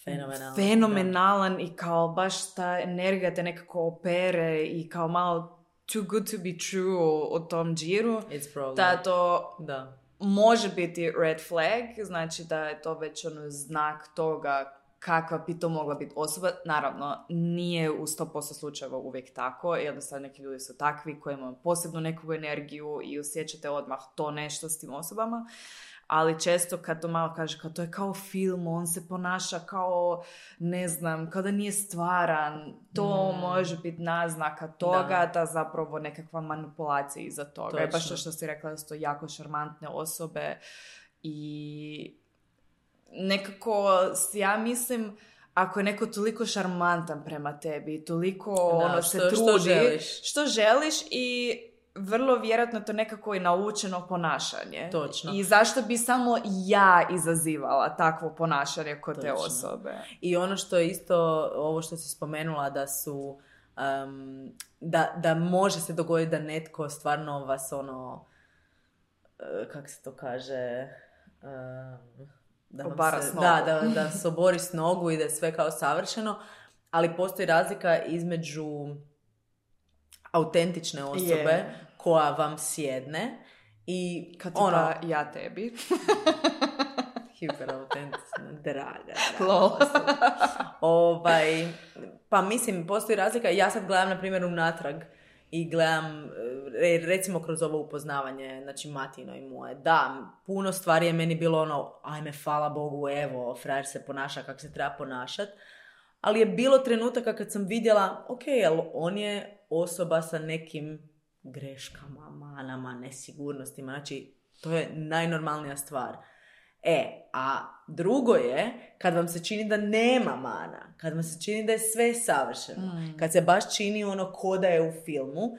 fenomenalan, fenomenalan i kao baš ta energija te nekako opere i kao malo too good to be true o tom džiru, da to da. može biti red flag, znači da je to već ono znak toga kakva bi to mogla biti osoba. Naravno, nije u sto posto slučajeva uvijek tako, jednostavno neki ljudi su takvi koji imaju posebnu neku energiju i osjećate odmah to nešto s tim osobama. ali često kad to malo kaže, kao to je kao film, on se ponaša kao, ne znam, kao da nije stvaran, to mm. može biti naznaka toga, da, da zapravo nekakva manipulacija iza toga. Točno. I baš to što si rekla, da su to jako šarmantne osobe i nekako, ja mislim, ako je neko toliko šarmantan prema tebi, toliko da, ono, se što, trudi, što želiš. što želiš i vrlo vjerojatno to nekako i naučeno ponašanje. Točno. I zašto bi samo ja izazivala takvo ponašanje kod Točno. te osobe. I ono što je isto, ovo što si spomenula, da su, um, da, da može se dogoditi da netko stvarno vas ono, uh, kak se to kaže... Um, Da, se, da, da, da se obori s nogu i da je sve kao savršeno, ali postoji razlika između autentične osobe yeah. koja vam sjedne i kad ono, pa ja tebi hiperautentična, draga, draga ovaj, pa mislim, postoji razlika. Ja sad gledam, na primjer, unatrag i gledam, recimo kroz ovo upoznavanje, znači Matino i moje. Da, puno stvari je meni bilo ono, ajme, hvala Bogu, evo, frajer se ponaša kako se treba ponašati. Ali je bilo trenutaka kad sam vidjela, ok, jel on je osoba sa nekim greškama, manama, nesigurnostima. Znači, to je najnormalnija stvar. E, a drugo je kad vam se čini da nema mana, kad vam se čini da je sve savršeno, mm. kad se baš čini ono ko da je u filmu.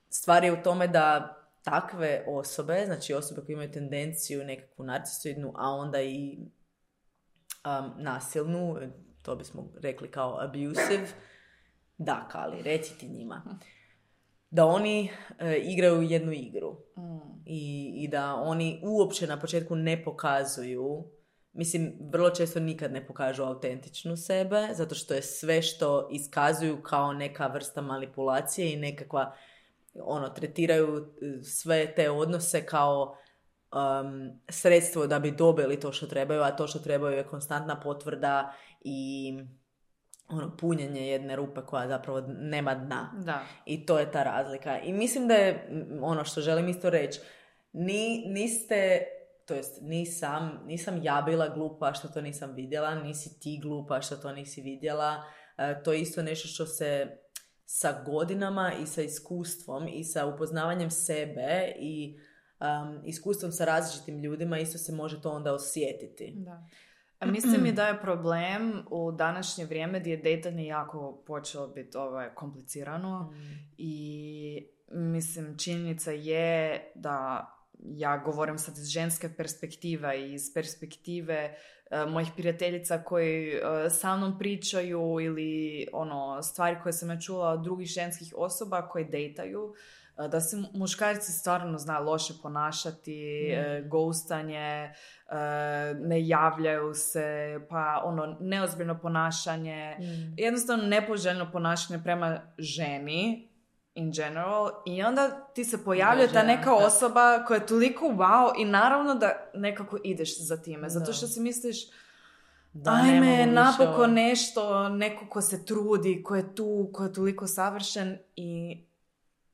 Stvar je u tome da takve osobe, znači osobe koje imaju tendenciju nekakvu narcisoidnu, a onda i um, nasilnu, to bismo rekli kao abusive, da, Kali, reci ti njima, da oni e, igraju jednu igru. Mm. I, i da oni uopće na početku ne pokazuju, mislim, vrlo često nikad ne pokažu autentičnu sebe, zato što je sve što iskazuju kao neka vrsta manipulacije i nekakva, ono, tretiraju sve te odnose kao um, sredstvo da bi dobili to što trebaju, a to što trebaju je konstantna potvrda i ono, punjenje jedne rupe koja zapravo nema dna. Da. I to je ta razlika. I mislim da je ono što želim isto reći, ni, niste, to jest nisam, nisam ja bila glupa što to nisam vidjela, nisi ti glupa što to nisi vidjela. E, to je isto nešto što se sa godinama i sa iskustvom i sa upoznavanjem sebe i um, iskustvom sa različitim ljudima isto se može to onda osjetiti. Da. A mislim mi da je problem u današnje vrijeme gdje je dejtanje jako počelo biti ovaj, komplicirano mm. i mislim činjenica je da ja govorim sad iz ženske perspektive i iz perspektive uh, mojih prijateljica koji uh, sa mnom pričaju ili ono stvari koje sam ja čula od drugih ženskih osoba koji dejtaju, uh, da se muškarci stvarno zna loše ponašati, mm. uh, ghostanje, uh, ne javljaju se, pa ono neozbiljno ponašanje, mm. jednostavno nepoželjno ponašanje prema ženi in general, i onda ti se pojavlja ta neka osoba koja je toliko wow i naravno da nekako ideš za time, zato što si misliš da, ajme, napokon nešto, neko ko se trudi, ko je tu, ko je toliko savršen i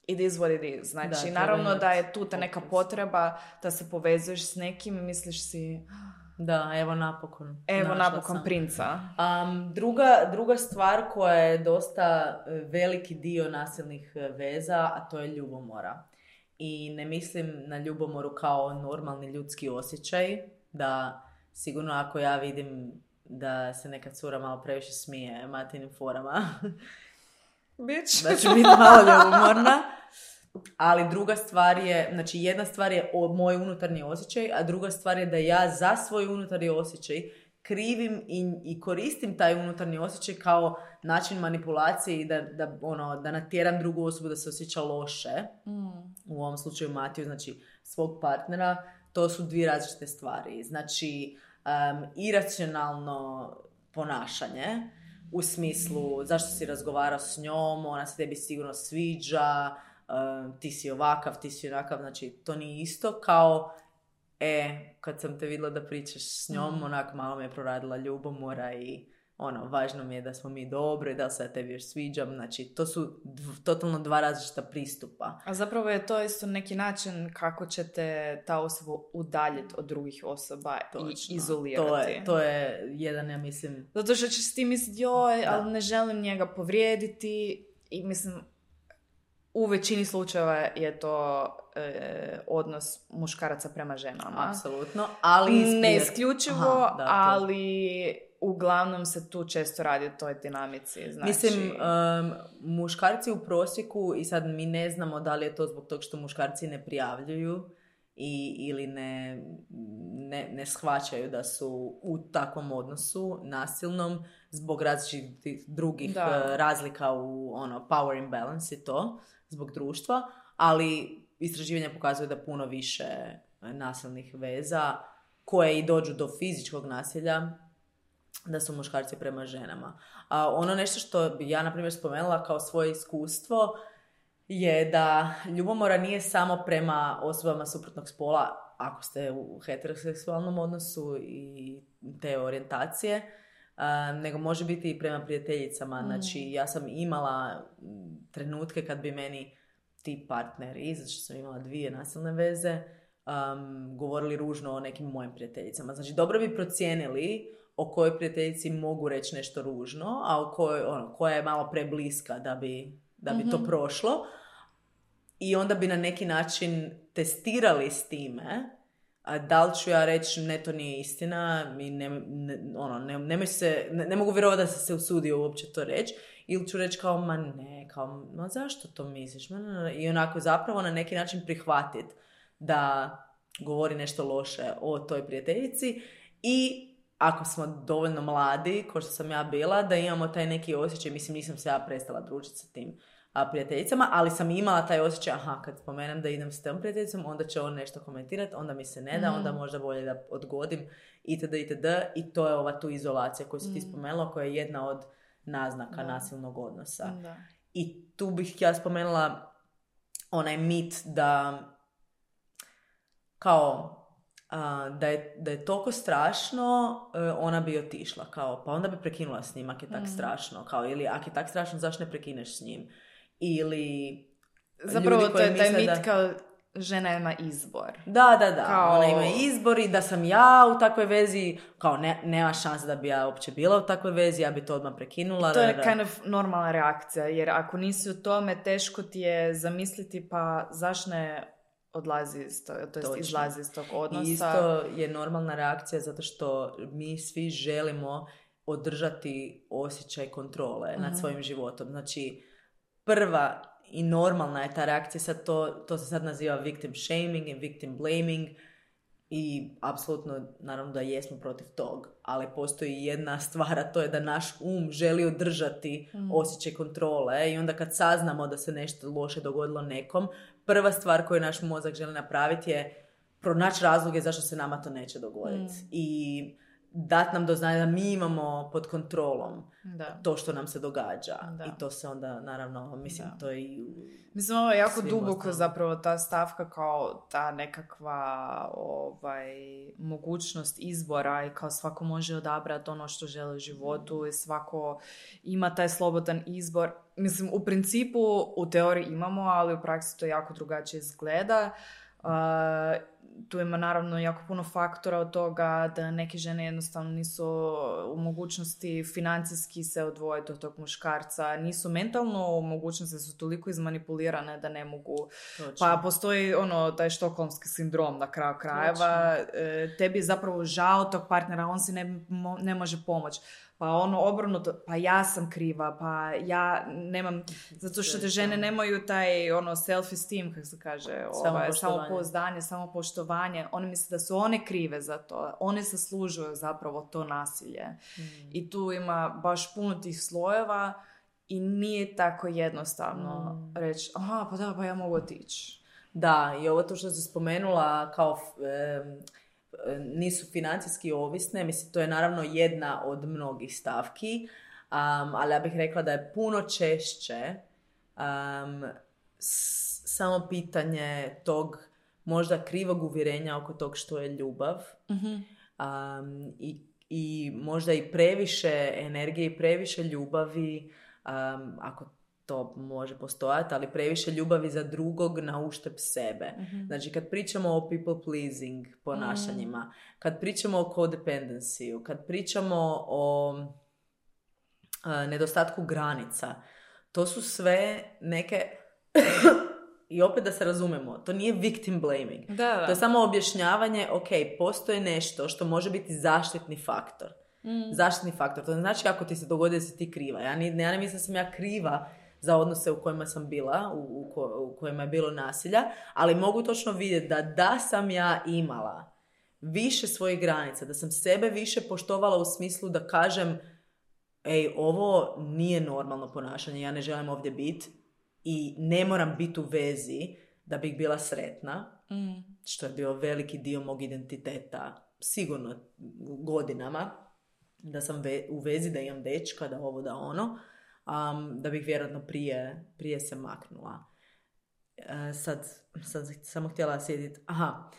it is what it is. Znači, da, naravno da je tu ta neka potreba da se povezuješ s nekim i misliš si da, evo napokon. Evo napokon sam. Princa. Um, druga, druga stvar koja je dosta veliki dio nasilnih veza, a to je ljubomora. I ne mislim na ljubomoru kao normalni ljudski osjećaj, da sigurno ako ja vidim da se neka cura malo previše smije Matinim forama, Bitch. da ću biti malo ljubomorna. Ali druga stvar je, znači jedna stvar je o, moj unutarnji osjećaj, a druga stvar je da ja za svoj unutarnji osjećaj krivim i, i koristim taj unutarnji osjećaj kao način manipulacije i da, da, ono, da natjeram drugu osobu da se osjeća loše. Mm. U ovom slučaju Matiju, znači svog partnera. To su dvije različite stvari. Znači, um, iracionalno ponašanje u smislu zašto si razgovarao s njom, ona se tebi sigurno sviđa, Uh, ti si ovakav, ti si onakav, znači to nije isto kao e, kad sam te vidjela da pričaš s njom, mm. onak malo me je proradila ljubomora i ono, važno mi je da smo mi dobri, da li se ja tebi još sviđam, znači to su dv- totalno dva različita pristupa. A zapravo je to isto neki način kako ćete ta osoba udaljiti od drugih osoba. Točno. I izolirati. To je, to je jedan, ja mislim... Zato što ćeš ti misliti, joj, ali ne želim njega povrijediti i mislim, u većini slučajeva je to e, odnos muškaraca prema ženama. Apsolutno, ali... Ne isključivo, Aha, da, ali uglavnom se tu često radi o toj dinamici. Znači... Mislim, um, muškarci u prosjeku, i sad mi ne znamo da li je to zbog toga što muškarci ne prijavljuju i, ili ne, ne, ne shvaćaju da su u takvom odnosu nasilnom zbog različitih drugih da. razlika u ono, power imbalance i to, zbog društva, ali istraživanja pokazuju da puno više nasilnih veza koje i dođu do fizičkog nasilja, da su muškarci prema ženama. A ono nešto što bi ja, na primjer, spomenula kao svoje iskustvo je da ljubomora nije samo prema osobama suprotnog spola, ako ste u heteroseksualnom odnosu i te orijentacije, a, nego može biti i prema prijateljicama. Mm. Znači, ja sam imala trenutke kad bi meni ti partneri, zato što sam imala dvije nasilne veze, um, govorili ružno o nekim mojim prijateljicama. Znači, dobro bi procijenili o kojoj prijateljici mogu reći nešto ružno, a o kojoj, ono, koja je malo prebliska da bi, da bi mm-hmm. to prošlo. I onda bi na neki način testirali s time, a da li ću ja reći ne, to nije istina, i ne, ne, ono, ne, ne, se, ne, ne mogu vjerovati da sam se usudio uopće to reći, ili ću reći kao, ma ne, kao, ma zašto to misliš? Ma, ne, ne. I onako zapravo na neki način prihvatiti da govori nešto loše o toj prijateljici i ako smo dovoljno mladi, kao što sam ja bila, da imamo taj neki osjećaj, mislim, nisam se ja prestala družiti sa tim a, prijateljicama, ali sam imala taj osjećaj, aha, kad spomenem da idem s tom prijateljicom, onda će on nešto komentirati, onda mi se ne da, mm. onda možda bolje da odgodim, itd., itd. I to je ova tu izolacija koju si mm. ti spomenula, koja je jedna od naznaka da. nasilnog odnosa. Da. I tu bih ja spomenula onaj mit da kao Uh, da, je, da je toliko strašno, uh, ona bi otišla, kao, pa onda bi prekinula s njim, ako je tak mm. strašno, kao, ili ako je tak strašno, zašto ne prekineš s njim? Ili zapravo to je taj mit da... kao žena ima izbor. Da, da, da, kao... ona ima izbor i da sam ja u takvoj vezi, kao ne, nema šanse da bi ja uopće bila u takvoj vezi, ja bi to odmah prekinula. To je da, kind of normalna reakcija, jer ako nisi u tome, teško ti je zamisliti, pa zašto ne odlazi iz to, to jest izlazi iz tog odnosa. I isto je normalna reakcija zato što mi svi želimo održati osjećaj kontrole uh-huh. nad svojim životom. Znači, prva i normalna je ta reakcija, sad to, to se sad naziva victim shaming i victim blaming i apsolutno, naravno da jesmo protiv tog, ali postoji jedna stvar, a to je da naš um želi održati mm. osjećaj kontrole i onda kad saznamo da se nešto loše dogodilo nekom, prva stvar koju naš mozak želi napraviti je pronaći razloge zašto se nama to neće dogoditi. Mm. I dat nam do znanja da mi imamo pod kontrolom da. to što nam se događa. Da. I to se onda, naravno, mislim, da. to je i... Mislim, ovo je jako duboko osnovno. Zapravo ta stavka kao ta nekakva ovaj, mogućnost izbora i kao svako može odabrati ono što želi u životu i svako ima taj slobodan izbor. Mislim, u principu, u teoriji imamo, ali u praksi to jako drugačije izgleda. Uh, tu ima naravno jako puno faktora od toga da neke žene jednostavno nisu u mogućnosti financijski se odvojiti od tog muškarca, nisu mentalno u mogućnosti, su toliko izmanipulirane da ne mogu. Točno. Pa postoji ono taj štokholmski sindrom na kraju krajeva. Točno. Tebi je zapravo žao tog partnera, on si ne, ne može pomoći. Pa ono obrnuto, pa ja sam kriva, pa ja nemam, zato što te žene nemaju taj ono self-esteem, kako se kaže, ovaj, samopouzdanje, samopoštovanje. One misle da su one krive za to, one zaslužuju zapravo to nasilje. Mm. I tu ima baš puno tih slojeva i nije tako jednostavno mm. reći, aha, pa da, pa ja mogu otići. Da, i ovo to što si spomenula kao... Um, nisu financijski ovisne, mislim, to je naravno jedna od mnogih stavki, um, ali ja bih rekla da je puno češće um, s- samo pitanje tog možda krivog uvjerenja oko tog što je ljubav mm-hmm. um, i, i možda i previše energije i previše ljubavi, um, ako to može postojati, ali previše ljubavi za drugog na uštrb sebe. Mm-hmm. Znači, kad pričamo o people pleasing ponašanjima, mm. kad pričamo o codependenciju, kad pričamo o uh, nedostatku granica, to su sve neke... I opet da se razumemo, to nije victim blaming. Da, da. To je samo objašnjavanje, ok, postoji nešto što može biti zaštitni faktor. Mm. Zaštitni faktor. To ne znači kako ti se dogodi da si ti kriva. Ja, ni, ja ne mislim da sam ja kriva za odnose u kojima sam bila, u, u, ko, u kojima je bilo nasilja, ali mogu točno vidjeti da da sam ja imala više svojih granica, da sam sebe više poštovala u smislu da kažem, ej, ovo nije normalno ponašanje, ja ne želim ovdje biti i ne moram biti u vezi da bih bila sretna, mm. što je bio veliki dio mog identiteta, sigurno godinama, da sam ve- u vezi, da imam dečka, da ovo, da ono, um, da bih vjerojatno prije, prije se maknula. E, sad sam samo htjela sjediti. Aha,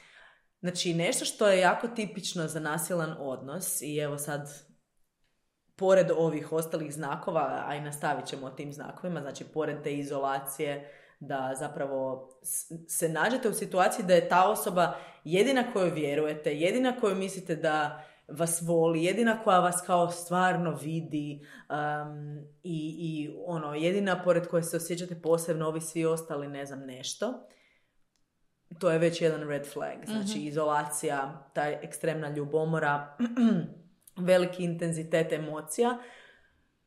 znači nešto što je jako tipično za nasilan odnos i evo sad pored ovih ostalih znakova, a i nastavit ćemo o tim znakovima, znači pored te izolacije, da zapravo se nađete u situaciji da je ta osoba jedina kojoj vjerujete, jedina koju mislite da vas voli, jedina koja vas kao stvarno vidi um, i, i ono, jedina pored koje se osjećate posebno, ovi svi ostali ne znam nešto. To je već jedan red flag. Znači mm-hmm. izolacija, ta ekstremna ljubomora, veliki intenzitet emocija.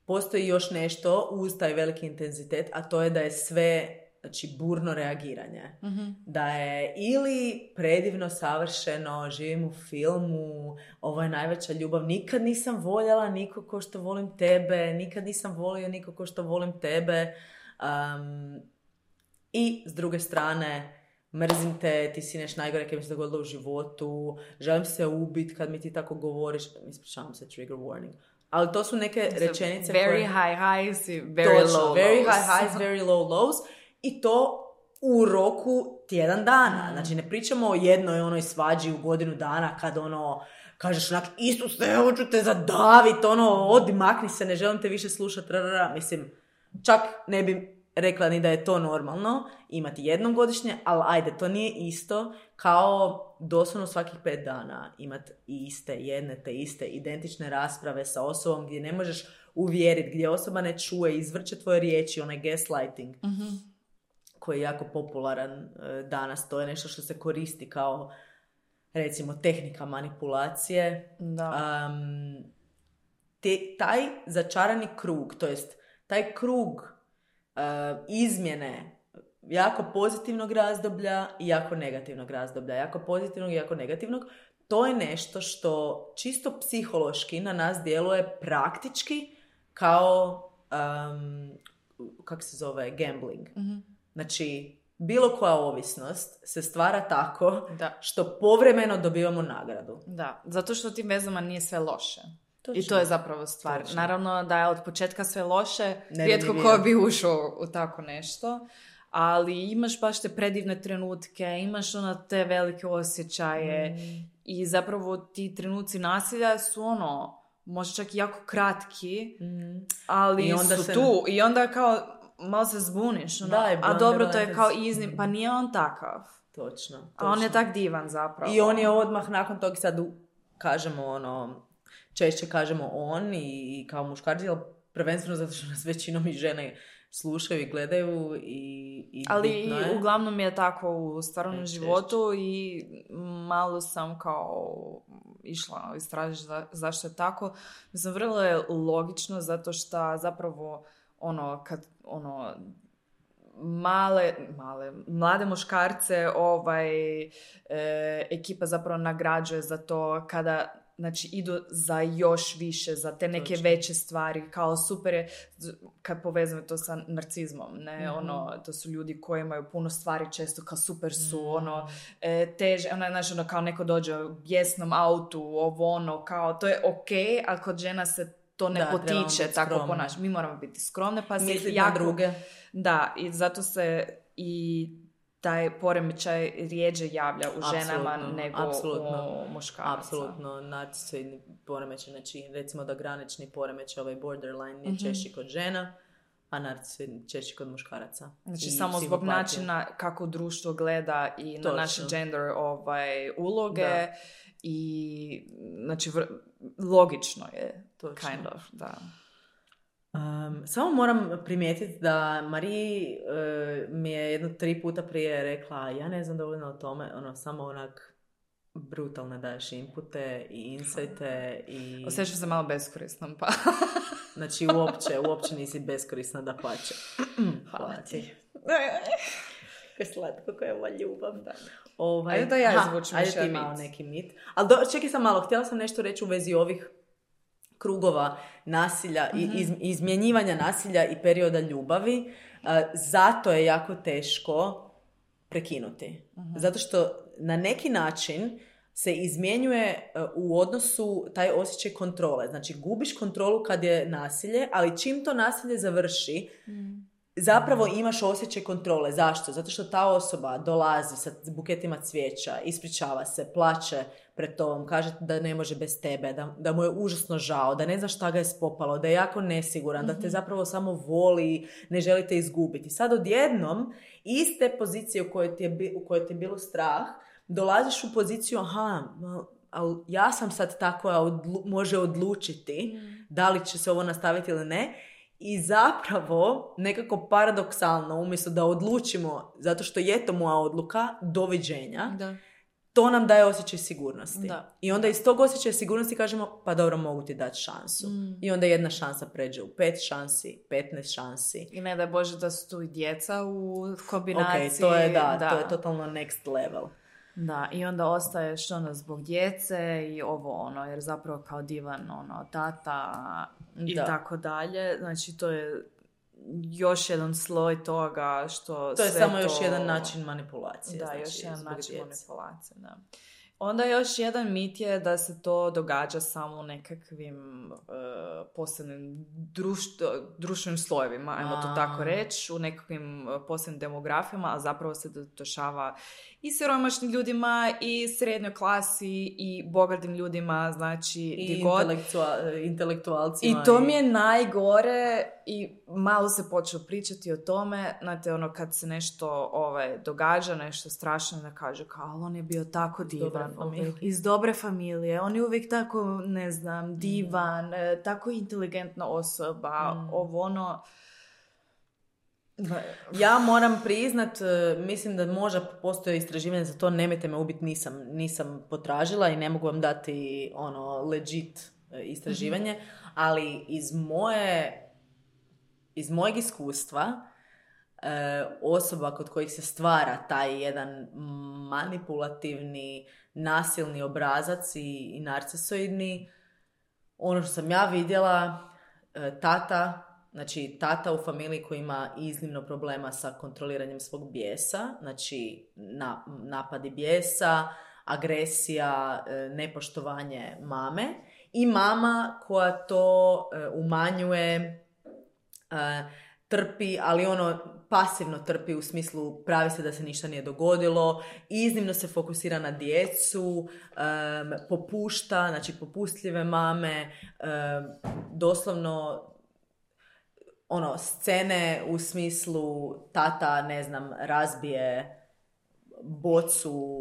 Postoji još nešto uz taj veliki intenzitet, a to je da je sve, znači, burno reagiranje. Mm-hmm. Da je ili predivno, savršeno, živim u filmu, ovo je najveća ljubav, nikad nisam voljela niko ko što volim tebe, nikad nisam volio niko ko što volim tebe. Um, I s druge strane, mrzim te, ti si nešto najgore kad mi se dogodilo u životu, želim se ubiti kad mi ti tako govoriš, ispričavam se, trigger warning. Ali to su neke so rečenice very koje... high highs i very točno, low very lows. high highs, very low lows. I to u roku tjedan dana. Znači, ne pričamo o jednoj onoj svađi u godinu dana kad ono, kažeš onak, Isuse, hoću te zadavit, ono, odi, makni se, ne želim te više slušati, rrrra. Mislim, čak ne bi rekla ni da je to normalno, imati jednom godišnje, ali ajde, to nije isto kao doslovno svakih pet dana imati iste, jedne te iste, identične rasprave sa osobom gdje ne možeš uvjeriti, gdje osoba ne čuje, izvrće tvoje riječi, onaj gaslighting. Mm-hmm. Koji je jako popularan danas. To je nešto što se koristi kao, recimo, tehnika manipulacije. Da. Um, te, taj začarani krug, to jest taj krug uh, izmjene jako pozitivnog razdoblja i jako negativnog razdoblja. Jako pozitivnog i jako negativnog. To je nešto što čisto psihološki na nas djeluje praktički kao, um, kako se zove, gambling. Mm-hmm. Znači, bilo koja ovisnost se stvara tako da. Što povremeno dobivamo nagradu. Da, zato što tim vezama nije sve loše. Točno. I to je zapravo stvar. Točno. Naravno da je od početka sve loše, rijetko ko bi ušao u tako nešto, ali imaš baš te predivne trenutke, imaš ono te velike osjećaje mm. i zapravo ti trenuci nasilja su ono, možda čak i jako kratki, mm. ali su se... tu. I onda kao... malo se zbuniš, ono, da, a dobro, to je kao iznim, pa nije on takav. Točno, točno. A on je tak divan zapravo. I on je odmah nakon toga, sad kažemo ono, češće kažemo on i, i kao muškarci, ali prvenstveno zato što nas većinom i žene slušaju i gledaju i, i ali bitno je. Uglavnom je tako u stvarnom e, životu i malo sam kao išla istražiti za, zašto je tako. Mislim, vrlo je logično zato što zapravo ono, kad, ono, male, male, mlade muškarce ovaj, e, ekipa zapravo nagrađuje za to kada, znači, idu za još više, za te neke Točno. Veće stvari, kao super je, kad povezujemo to sa narcizmom, ne, mm-hmm. ono, to su ljudi koji imaju puno stvari često, kao super su, mm-hmm. ono, e, teže, ono, znači, ono, kao neko dođe u bijesnom autu, ovo, ono, kao, to je okej, ali kod žena se to ne da, potiče tako ponašati. Mi moramo biti skromne, pa se misliti jako... na druge. Da, i zato se i taj poremećaj rijeđe javlja u ženama Apsolutno, nego apsolutno, u muškaraca. Apsolutno, narcisoidni poremećaj, znači recimo da granični poremećaj, ovaj borderline je Mhm. češći kod žena, a narcisoidni češći kod muškaraca. Znači I samo zbog psihopatija. načina kako društvo gleda i Točno. na naše gender ovaj, uloge Da. i znači vr- logično je Točno. kind of, da. Um, samo moram primijetiti da Mariji e, mi je jedno tri puta prije rekla ja ne znam dovoljno o tome, ono, samo onak brutalne daješ inpute i insajte i... Osjećam se malo beskorisnom, pa... Znači uopće, uopće nisi beskorisna da pače. Hvala ti. Kako je slatko, koja je ova ljubav. Da. Ovaj, Ajde da ja ha, izvučem ajde više ti mit. malo neki mit. Ali do, čekaj sam malo, htjela sam nešto reći u vezi ovih krugova nasilja i iz, izmjenjivanja nasilja i perioda ljubavi. Uh, zato je jako teško prekinuti. Zato što na neki način se izmjenjuje uh, u odnosu taj osjećaj kontrole. Znači, gubiš kontrolu kad je nasilje, ali čim to nasilje završi, zapravo imaš osjećaj kontrole. Zašto? Zato što ta osoba dolazi sa buketima cvijeća, ispričava se, plače pred tobom, kaže da ne može bez tebe, da, da mu je užasno žao, da ne zna šta ga je spopalo, da je jako nesiguran, mm-hmm. da te zapravo samo voli, ne želite izgubiti. Sad odjednom, iz te pozicije u kojoj ti je, u kojoj ti je bilo strah, dolaziš u poziciju, aha, ali ja sam sad ta koja odlu, može odlučiti mm. da li će se ovo nastaviti ili ne. I zapravo, nekako paradoksalno, umjesto da odlučimo, zato što je to moja odluka, doviđenja, Da. to nam daje osjećaj sigurnosti. Da. I onda iz tog osjećaja sigurnosti kažemo, pa dobro, mogu ti dati šansu. Mm. I onda jedna šansa pređe u pet šansi, petnaest šansi. I ne daj Bože da su tu i djeca u kombinaciji. Ok, to je, da, da. to je totalno next level. Da, i onda ostaješ ono zbog djece i ovo ono, jer zapravo kao divan ono, tata i Da. tako dalje. Znači to je još jedan sloj toga što To je sve samo to... još jedan način manipulacije. Da, znači, još jedan zbog način djece. manipulacije, da. Onda još jedan mit je da se to događa samo u nekakvim uh, posebnim društvo, društvenim slojevima, ajmo to A. tako reći, u nekakvim uh, posebnim demografijama, a zapravo se dešava i siromašnim ljudima, i srednjoj klasi, i bogatim ljudima, znači I di god. intelektua- intelektualcima. I to mi je najgore i malo se počeo pričati o tome, znate, ono kad se nešto ovaj, događa, nešto strašno, da kaže kao, ali on je bio tako divan, familije. iz dobre familije, on je uvijek tako, ne znam, divan, mm. tako inteligentna osoba, mm. ovo ono... Ja moram priznat, mislim da možda postoje istraživanje za to, nemojte me ubiti, nisam, nisam potražila i ne mogu vam dati ono legit istraživanje, mm-hmm. ali iz moje iz mojeg iskustva osoba kod kojih se stvara taj jedan manipulativni, nasilni obrazac i, i narcisoidni, ono što sam ja vidjela, tata Znači, tata u familiji koji ima iznimno problema sa kontroliranjem svog bijesa, znači na, napadi bijesa, agresija, nepoštovanje mame, i mama koja to umanjuje, trpi, ali ono pasivno trpi u smislu pravi se da se ništa nije dogodilo, iznimno se fokusira na djecu, um, popušta, znači popustljive mame, um, doslovno ono, scene u smislu tata, ne znam, razbije bocu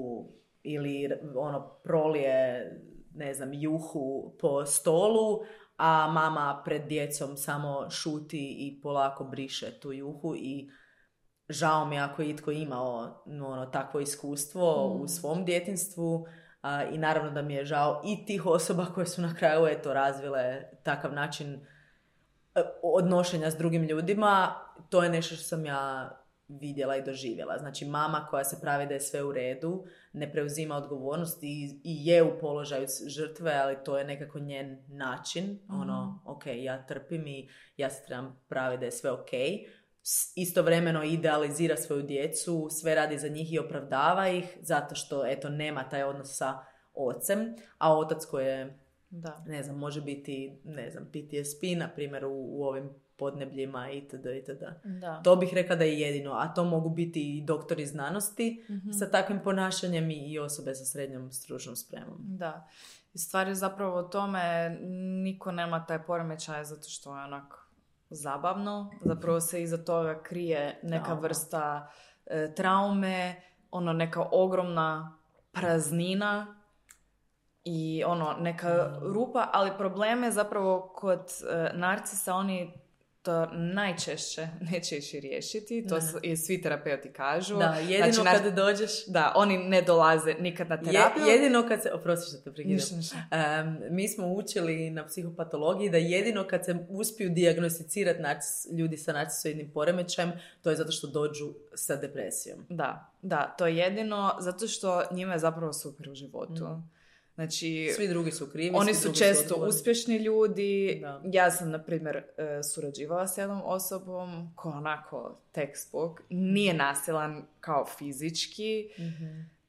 ili ono, prolije, ne znam, juhu po stolu, a mama pred djecom samo šuti i polako briše tu juhu. I žao mi ako je itko imao ono, takvo iskustvo mm. u svom djetinjstvu, a, i naravno da mi je žao i tih osoba koje su na kraju eto razvile takav način odnošenja s drugim ljudima. To je nešto što sam ja vidjela i doživjela. Znači, mama koja se pravi da je sve u redu, ne preuzima odgovornost i, i je u položaju žrtve, ali to je nekako njen način. Mm-hmm. Ono, ok, ja trpim i ja se trebam praviti da je sve ok. Istovremeno idealizira svoju djecu, sve radi za njih i opravdava ih, zato što, eto, nema taj odnos sa ocem, a otac koji je, da, ne znam, može biti, ne znam, P T S P, na primjer, u, u ovim podnebljima itd. itd. Da. To bih rekla da je jedino, a to mogu biti i doktori znanosti Mhm. sa takvim ponašanjem i osobe sa srednjom stručnom spremom. Da. I stvar je zapravo o tome, niko nema taj poremećaj zato što je onak zabavno. Zapravo se iza toga krije neka Trauma. vrsta e, traume, ono neka ogromna praznina i ono neka rupa, ali problem je zapravo kod e, narcisa, oni to najčešće neće ići riješiti, to Ne. su, i svi terapeuti kažu. Da, jedino Znači, nar- kad dođeš... Da, oni ne dolaze nikad na Je, terapiju. jedino kad se... Oprosti što te prekidam. Ništa, ništa. Um, mi smo učili na psihopatologiji da jedino kad se uspiju dijagnosticirati narcis, ljudi sa narcisoidnim poremećajem, to je zato što dođu sa depresijom. Da, da, to je jedino zato što njima je zapravo super u životu. Mm. Znači, Svi drugi su krivi. oni svi su drugi često odgovorni. uspješni ljudi. Da. Ja sam, na primjer, e, surađivala s jednom osobom koja onako textbook, nije nasilan kao fizički, Mhm.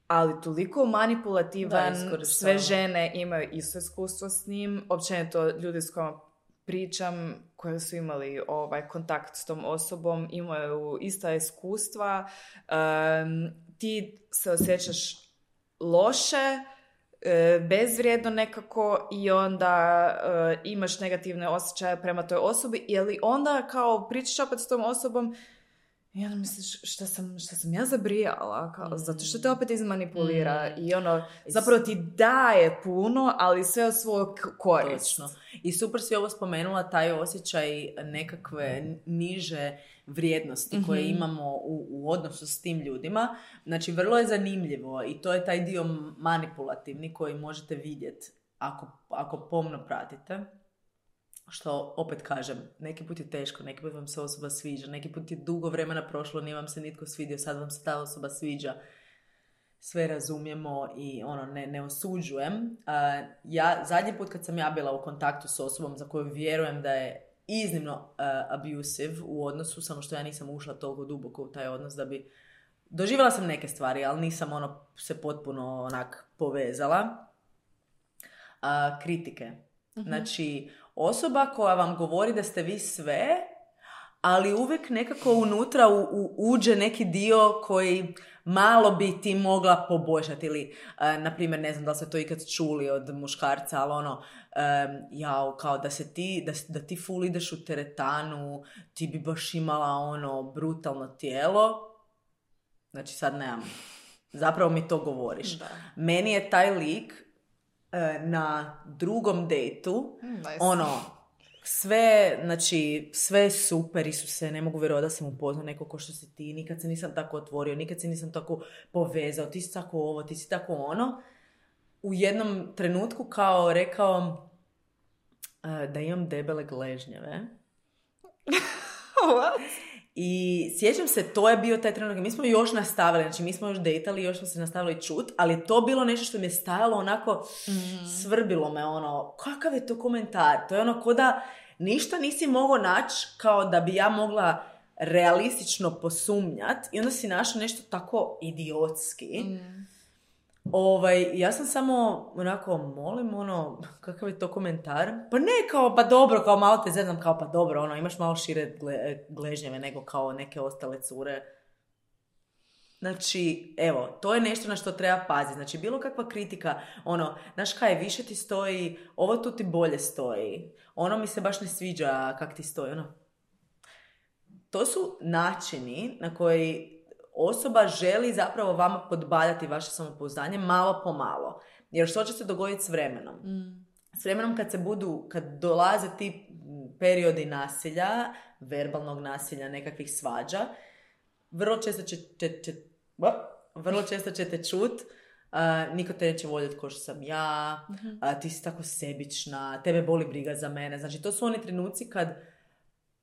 ali toliko manipulativan, Da, iskorištava. sve žene imaju isto iskustvo s njim, općenito ljudi s kojima pričam, koji su imali ovaj kontakt s tom osobom, imaju ista iskustva, um, ti se osjećaš loše, e, bezvrijedno nekako i onda e, imaš negativne osjećaje prema toj osobi, ili onda kao pričaš opet s tom osobom i onda misliš šta sam, šta sam ja zabrijala, kao, Mm. zato što te opet izmanipulira Mm. i ono, zapravo ti daje puno, ali sve od svog korist. Točno. I super si ovo spomenula, taj osjećaj nekakve niže vrijednosti koje Mhm. imamo u, u odnosu s tim ljudima. Znači, vrlo je zanimljivo i to je taj dio manipulativni koji možete vidjeti ako, ako pomno pratite. Što, opet kažem, neki put je teško, neki put vam se osoba sviđa, neki put je dugo vremena prošlo, nije vam se nitko svidio, sad vam se ta osoba sviđa. Sve razumijemo i ono, ne, ne osuđujem. Uh, ja, zadnji put kad sam ja bila u kontaktu s osobom za koju vjerujem da je iznimno uh, abusive u odnosu, samo što ja nisam ušla toliko duboko u taj odnos da bi... Doživjela sam neke stvari, ali nisam ono se potpuno onak povezala. Uh, kritike. Znači, osoba koja vam govori da ste vi sve, ali uvijek nekako unutra u, u, uđe neki dio koji malo bi ti mogla poboljšati. Ili, uh, na primjer, ne znam da li ste to ikad čuli od muškarca, ali ono, um, jao, kao da se ti, da, da ti full ideš u teretanu, ti bi baš imala ono brutalno tijelo. Znači, sad nemam. Zapravo mi to govoriš. Da. Meni je taj lik na drugom dejtu, Nice. ono, sve, znači, sve je super, Isuse, ne mogu vjerovati da sam upoznao neko ko što si ti, nikad se nisam tako otvorio, nikad se nisam tako povezao, ti si tako ovo, ti si tako ono. U jednom trenutku kao rekao uh, da imam debele gležnjeve. What? I sjećam se, to je bio taj trenutak. Mi smo još nastavili, znači mi smo još dejtali, još smo se nastavili čut, ali je to bilo nešto što mi je stajalo onako, Mm. svrbilo me ono, kakav je to komentar? To je ono ko da ništa nisi mogao naći kao da bi ja mogla realistično posumnjat i onda si našao nešto tako idiotski. Mm. Ovaj, ja sam samo onako, molim, ono, kakav je to komentar? Pa ne kao, pa dobro, kao malo te zezam, kao pa dobro, ono, imaš malo šire gle, gležnjeve nego kao neke ostale cure. Znači, evo, to je nešto na što treba paziti. Znači, bilo kakva kritika, ono, znaš kaj, više ti stoji, ovo tu ti bolje stoji, ono mi se baš ne sviđa kak ti stoji, ono. To su načini na koji osoba želi zapravo vama podbadati vaše samopouzdanje malo po malo. Jer što će se dogoditi s vremenom? Mm. S vremenom kad se budu, kad dolaze ti periodi nasilja, verbalnog nasilja, nekakvih svađa, vrlo često će, će, će, vrlo često ćete čut, uh, niko te neće voljeti ko što sam ja, Mhm. a, ti si tako sebična, tebe boli briga za mene. Znači, to su oni trenuci kad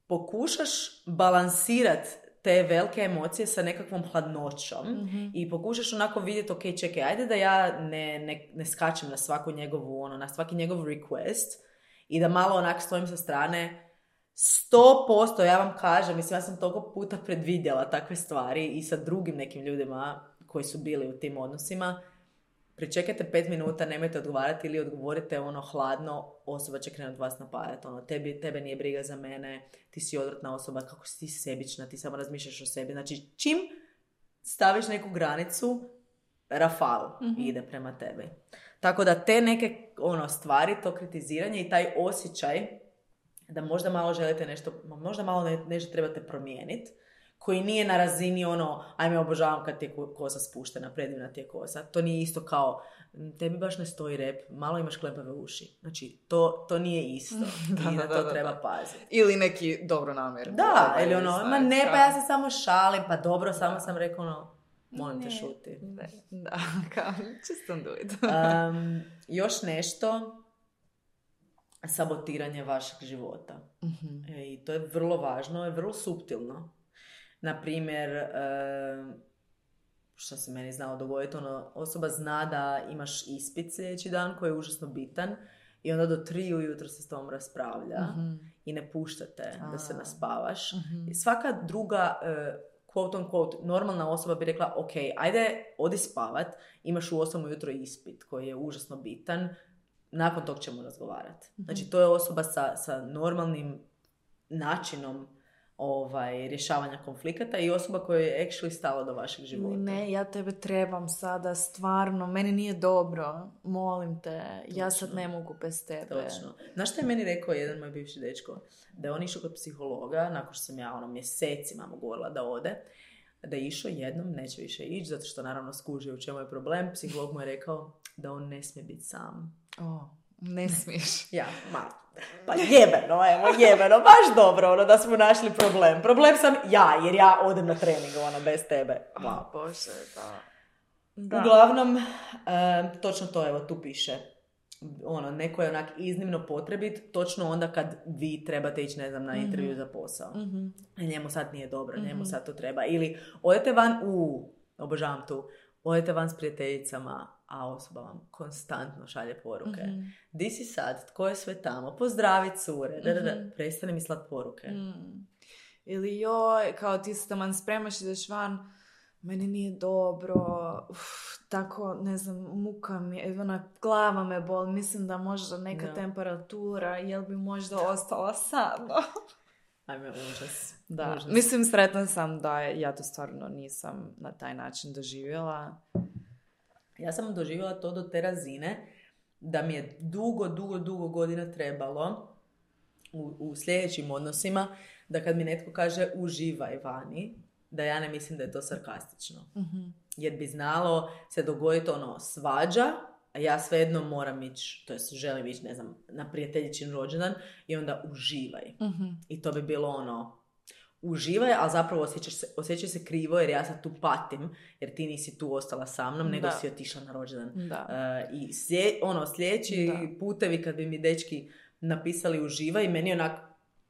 pokušaš balansirat te velike emocije sa nekakvom hladnoćom Mhm. i pokušaš onako vidjeti, ok, čekaj, ajde da ja ne, ne, ne skačem na svaku njegovu, ono, na svaki njegov request i da malo onak stojim sa strane. Sto posto, ja vam kažem, mislim, ja sam toliko puta predvidjela takve stvari i sa drugim nekim ljudima koji su bili u tim odnosima. pričekajte pet minuta, nemojte odgovarati ili odgovorite ono hladno, osoba će krenuti vas napadati. Ono, tebi, tebe nije briga za mene, ti si odvratna osoba, kako si ti sebična, ti samo razmišljaš o sebi. Znači, čim staviš neku granicu, rafal mm-hmm. ide prema tebi. Tako da te neke ono, stvari, to kritiziranje i taj osjećaj da možda malo želite nešto, možda malo ne, nešto trebate promijeniti, koji nije na razini ono, ajme obožavam kad ti je kosa spuštena, predivna ti je kosa. To nije isto kao, tebi baš ne stoji rep, malo imaš klepave uši. Znači, to, to nije isto. da, I na da, to da, treba da. paziti. Ili neki dobro namjer. Da, ili ono, ma ne, pa ja se samo šalim, pa dobro, samo sam rekao ono, molim te šuti. Ne, da, kao, just don't do it. um, još nešto, sabotiranje vašeg života. Mm-hmm. E, I to je vrlo važno, je vrlo suptilno. Naprimjer, e, što se meni znalo dogoditi, ono, osoba zna da imaš ispit sljedeći dan koji je užasno bitan i onda do tri ujutro se s tom raspravlja mm-hmm. i ne puštate da se naspavaš. Mm-hmm. I svaka druga, e, quote on quote, normalna osoba bi rekla, ok, ajde, odi spavat, imaš u osam ujutro ispit koji je užasno bitan, nakon tog ćemo razgovarati. Mm-hmm. Znači, to je osoba sa, sa normalnim načinom ovaj, rješavanja konflikata i osoba koja je actually stala do vašeg života. Ne, ja tebe trebam sada, stvarno, meni nije dobro, molim te, Točno. Ja sad ne mogu bez tebe. Točno. Znaš što je meni rekao jedan moj bivši dečko? Da je on išao kod psihologa, nakon što sam ja ono mjesecima mu govorila da ode, da je išao jednom, neće više ići, zato što naravno skužio u čemu je problem. Psiholog mu je rekao da on ne smije biti sam. Oh, ne smiješ. Ja, ma, pa jebeno, evo, jebeno, baš dobro, ono, da smo našli problem. Problem sam ja, jer ja odem na trening, ono, bez tebe. Wow. Oh, Bože, da. da. Uglavnom, e, točno to, evo, tu piše. Ono, neko je onak iznimno potrebit, točno onda kad vi trebate ići, ne znam, na intervju mm-hmm. za posao. Mm-hmm. Njemu sad nije dobro, mm-hmm. njemu sad to treba. Ili, odete van, u, obožavam tu, odete van s prijateljicama, a osoba vam konstantno šalje poruke. Mm-hmm. Di si sad? Tko je sve tamo? Pozdravi cure. Da, da, da. Mm-hmm. Prestani mi slat poruke. Mm. Ili joj, kao ti se taman spremaš, ideš van, meni nije dobro, uf, tako, ne znam, muka mi, ona glava me boli, mislim da možda neka no. temperatura, jel bi možda ostala sama? Ajme, užas. Da, užas. Mislim, sretna sam da ja to stvarno nisam na taj način doživjela. Ja sam doživjela to do te razine da mi je dugo, dugo, dugo godina trebalo u, u sljedećim odnosima da kad mi netko kaže uživaj vani, da ja ne mislim da je to sarkastično. Mm-hmm. Jer bi znalo se dogoditi ono svađa, a ja svejedno moram ići, to jest želim ići, ne znam, na prijateljičin rođendan i onda uživaj. Mm-hmm. I to bi bilo ono, uživaj, ali zapravo osjećaš se, osjećaj se krivo jer ja sad tu patim, jer ti nisi tu ostala sa mnom, nego da. si otišla na rođendan. Da. Uh, I slje, ono, sljedeći da. putevi kad bi mi dečki napisali uživaj, meni onak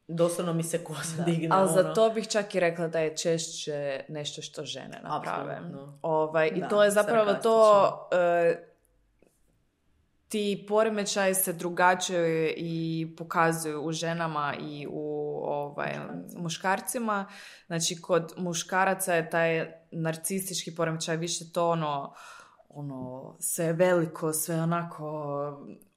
doslovno mi se kosa digne. Ali ono. za to bih čak i rekla da je češće nešto što žene naprave. Ovaj, I da, to je zapravo to... Uh, ti poremećaji se drugačije i pokazuju u ženama i u ovaj, muškarcima. Znači, kod muškaraca je taj narcistički poremećaj više to ono, ono sve veliko, sve onako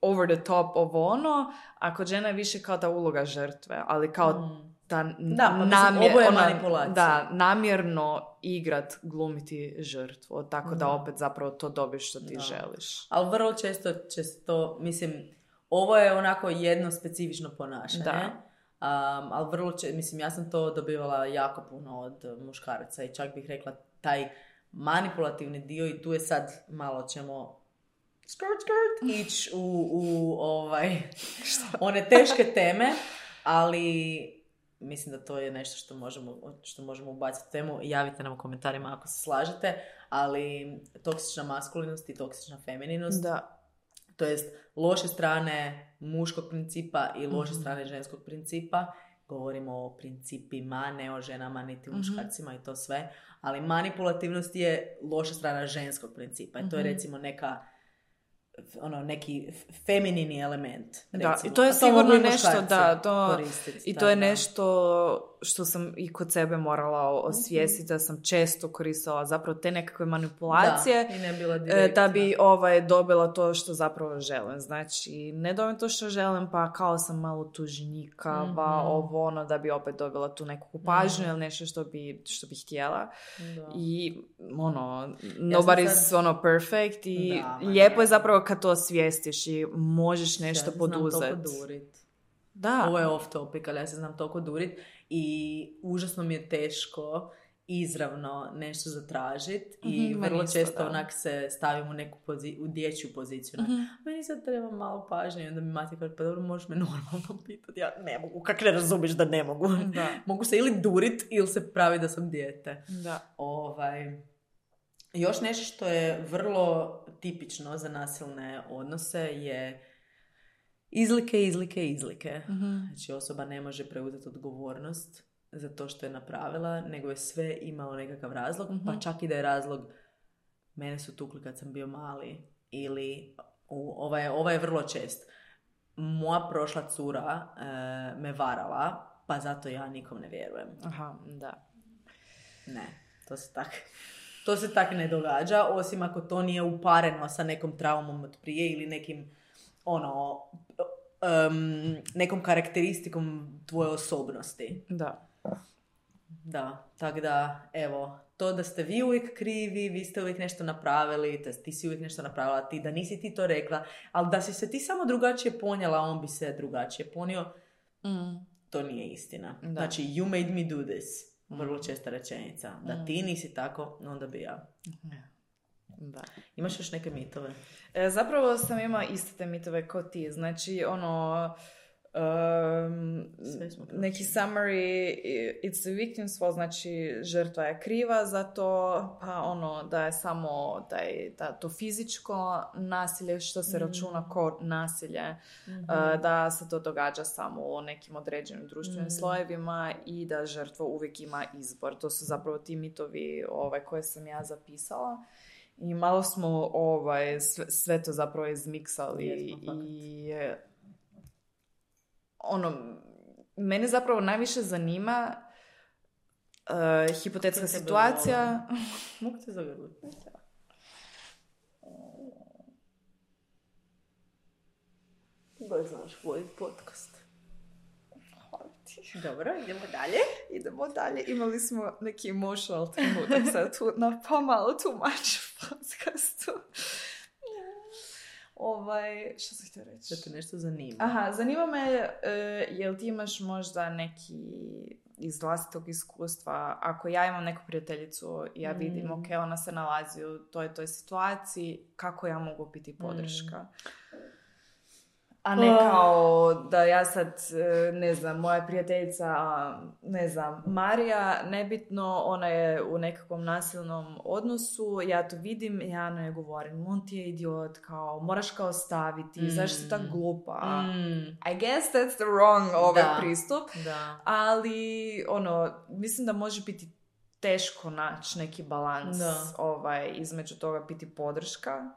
over the top ovo ono, a kod žena je više kao ta uloga žrtve, ali kao mm. ta da, pa namjer, ovo je ona, manipulacija. Da, namjerno igrat, glumiti žrtvu, tako da, da opet zapravo to dobiješ što ti da. želiš. Ali vrlo često će to, mislim, ovo je onako jedno specifično ponašanje. Da. Um, ali vrlo često, mislim, ja sam to dobivala jako puno od muškaraca i čak bih rekla taj manipulativni dio i tu je sad malo ćemo skirt, skirt, ići u, u ovaj, one teške teme, ali mislim da to je nešto što možemo, što možemo ubaciti u temu. Javite nam u komentarima ako se slažete, ali toksična maskulinost i toksična femininost, da. to jest loše strane muškog principa i loše mm-hmm. strane ženskog principa. Govorimo o principima, ne o ženama niti mm-hmm. muškarcima i to sve, ali manipulativnost je loša strana ženskog principa i to je recimo neka ono, neki feminini element. Da, recimo. i to je a sigurno to nešto da, to, i to da, je da. nešto što sam i kod sebe morala osvijestiti, da sam često koristila zapravo te nekakve manipulacije da, i ne bila da bi ovaj, dobila to što zapravo želim. Znači, ne dobijem to što želim, pa kao sam malo tužnikava, mm-hmm. ovo ono, da bi opet dobila tu neku pažnju mm. ili nešto što bi, što bi htjela. Da. I ono, nobody's sad... ono perfect i da, lijepo je zapravo kad to osvijestiš i možeš nešto ja poduzeti. Ja znam toliko durit. Da. Ovo je off topic, ali ja se znam toliko durit i užasno mi je teško izravno nešto zatražiti mm-hmm, i vrlo isto, često da. Onak se stavim u neku pozi- u dječju poziciju. Mm-hmm. Meni sad treba malo pažnje i onda mi mati kaže, pa dobro, možeš me normalno pitati. Ja ne mogu, kak ne razumiješ da ne mogu. Da. Mogu se ili durit ili se pravi da sam dijete. Da. Ovaj... Još nešto što je vrlo tipično za nasilne odnose je izlike, izlike, izlike. Mm-hmm. Znači osoba ne može preuzeti odgovornost za to što je napravila, nego je sve imalo nekakav razlog, mm-hmm. pa čak i da je razlog mene su tukli kad sam bio mali ili u, ova, je, ova je vrlo čest. Moja prošla cura e, me varala, pa zato ja nikom ne vjerujem. Aha, da. Ne, to se tak... To se tak ne događa, osim ako to nije upareno sa nekom traumom od prije ili nekim, ono, um, nekom karakteristikom tvoje osobnosti. Da. Da, tako da, evo, to da ste vi uvijek krivi, vi ste uvijek nešto napravili, te, ti si uvijek nešto napravila, ti, da nisi ti to rekla, ali da si se ti samo drugačije ponijela, on bi se drugačije ponio, mm. to nije istina. Da. Znači, you made me do this. Vrlo česta rečenica. Da mm. ti nisi tako, onda bi ja. Da. Imaš još neke mitove? E, zapravo sam imala iste te mitove kao ti. Znači, ono... Um, neki summary, it's the victim's fault, znači žrtva je kriva za to, pa ono da je samo da je, da to fizičko nasilje što se mm. računa kao nasilje, mm-hmm. uh, da se to događa samo u nekim određenim društvenim mm. slojevima i da žrtva uvijek ima izbor. To su zapravo ti mitovi ovaj, koje sam ja zapisala. I malo smo ovaj, sve, sve to zapravo izmiksali i ono, mene zapravo najviše zanima uh, hipotetska situacija. Mogu te zagrliti? Baš znaš voditi podcast. Dobro, idemo dalje. Idemo dalje. Imali smo neki emotional trenutak sad tu na pomalo tumač u podcastu. Ovaj, što sam htio reći? Da te nešto zanima. Aha, zanima me, uh, jel ti imaš možda neki iz vlastitog iskustva, ako ja imam neku prijateljicu i ja vidim, mm. ok, ona se nalazi u toj toj situaciji, kako ja mogu biti podrška? Mm. A ne kao da ja sad, ne znam, moja prijateljica, ne znam, Marija, nebitno, ona je u nekakvom nasilnom odnosu, ja to vidim, ja ne govorim, on ti je idiot, kao, moraš kao staviti, mm. zašto si tako glupa? Mm. I guess that's the wrong ovaj da. pristup, da. ali, ono, mislim da može biti teško naći neki balans ovaj, između toga biti podrška.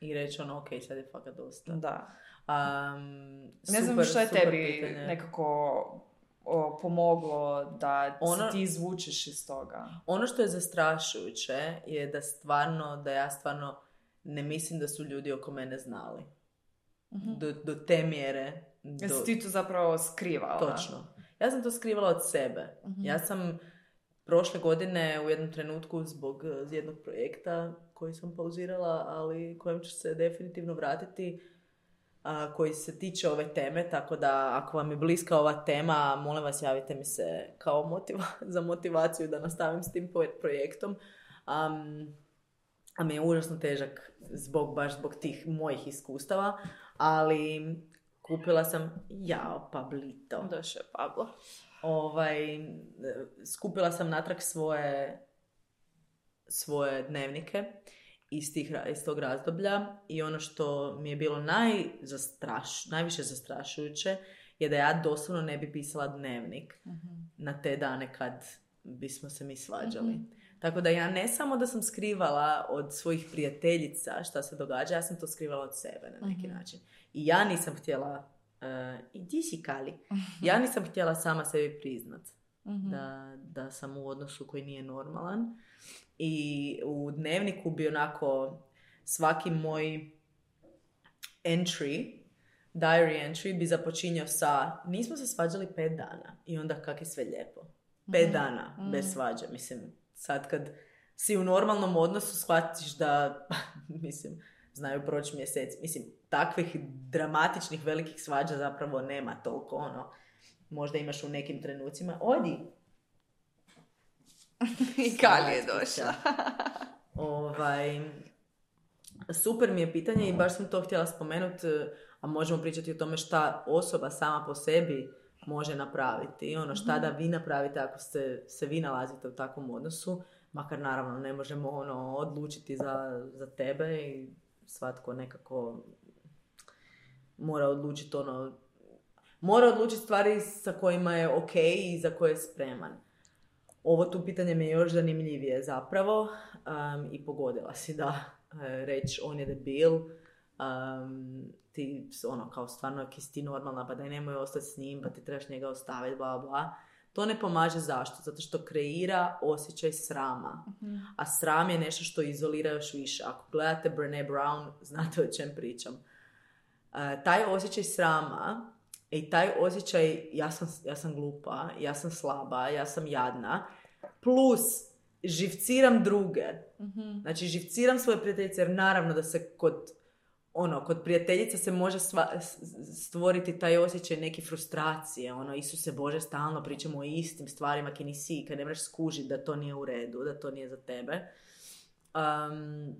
I reći ono, ok, sad je fakat dosta. Da. Um, ne znam što je tebi pitanje. Nekako o, pomoglo da ono, ti izvučeš iz toga. Ono što je zastrašujuće je da stvarno, da ja stvarno ne mislim da su ljudi oko mene znali. Uh-huh. Do, do te mjere. Do... Jesi ti to zapravo skrivala? Točno. Ja sam to skrivala od sebe. Uh-huh. Ja sam prošle godine u jednom trenutku zbog jednog projekta koji sam pauzirala, ali kojem ću se definitivno vratiti, a, koji se tiče ove teme, tako da ako vam je bliska ova tema, molim vas javite mi se kao motiva- za motivaciju da nastavim s tim projektom. Um, a mi je užasno težak zbog, baš zbog tih mojih iskustava, ali kupila sam, jao, Pablito. Došao je Pablo. Ovaj, skupila sam natrag svoje, svoje dnevnike iz, tih, iz tog razdoblja i ono što mi je bilo najzastraš, najviše zastrašujuće je da ja doslovno ne bi pisala dnevnik mm-hmm. na te dane kad bismo se mi svađali. Mm-hmm. Tako da ja ne samo da sam skrivala od svojih prijateljica šta se događa, ja sam to skrivala od sebe na neki mm-hmm. način. I ja nisam htjela, uh, idi si Kali, ja nisam htjela sama sebi priznat mm-hmm. da, da sam u odnosu koji nije normalan. I u dnevniku bi onako svaki moj entry, diary entry bi započinjao sa nismo se svađali pet dana i onda kak je sve lijepo. Pet mm-hmm. dana mm-hmm. bez svađe. Mislim, sad kad si u normalnom odnosu shvatiš da, mislim, znaju proći mjeseci. Mislim, takvih dramatičnih velikih svađa zapravo nema toliko, ono. Možda imaš u nekim trenucima. Odi! I Kali je došla. ovaj, super mi je pitanje i baš sam to htjela spomenuti, a možemo pričati o tome šta osoba sama po sebi može napraviti. Ono, šta da vi napravite ako ste, se vi nalazite u takvom odnosu. Makar naravno ne možemo ono, odlučiti za, za tebe i svatko nekako mora odlučiti ono, mora odlučiti stvari sa kojima je ok i za koje je spreman. Ovo tu pitanje mi je još zanimljivije zapravo um, i pogodila si da uh, reći on je debil, um, ti ono kao stvarno ako si ti normalna pa daj nemoj ostati s njim pa ti trebaš njega ostaviti bla bla. To ne pomaže zašto? Zato što kreira osjećaj srama. Uh-huh. A sram je nešto što izolira još više. Ako gledate Brené Brown, znate o čem pričam. Uh, taj osjećaj srama i taj osjećaj ja sam, ja sam glupa, ja sam slaba, ja sam jadna, plus živciram druge. Uh-huh. Znači živciram svoje prijateljice jer naravno da se kod ono, kod prijateljica se može sva, stvoriti taj osjećaj neke frustracije, ono, Isuse Bože, stalno pričamo o istim stvarima, ki nisi, kad ne možeš skužiti da to nije u redu, da to nije za tebe. Um,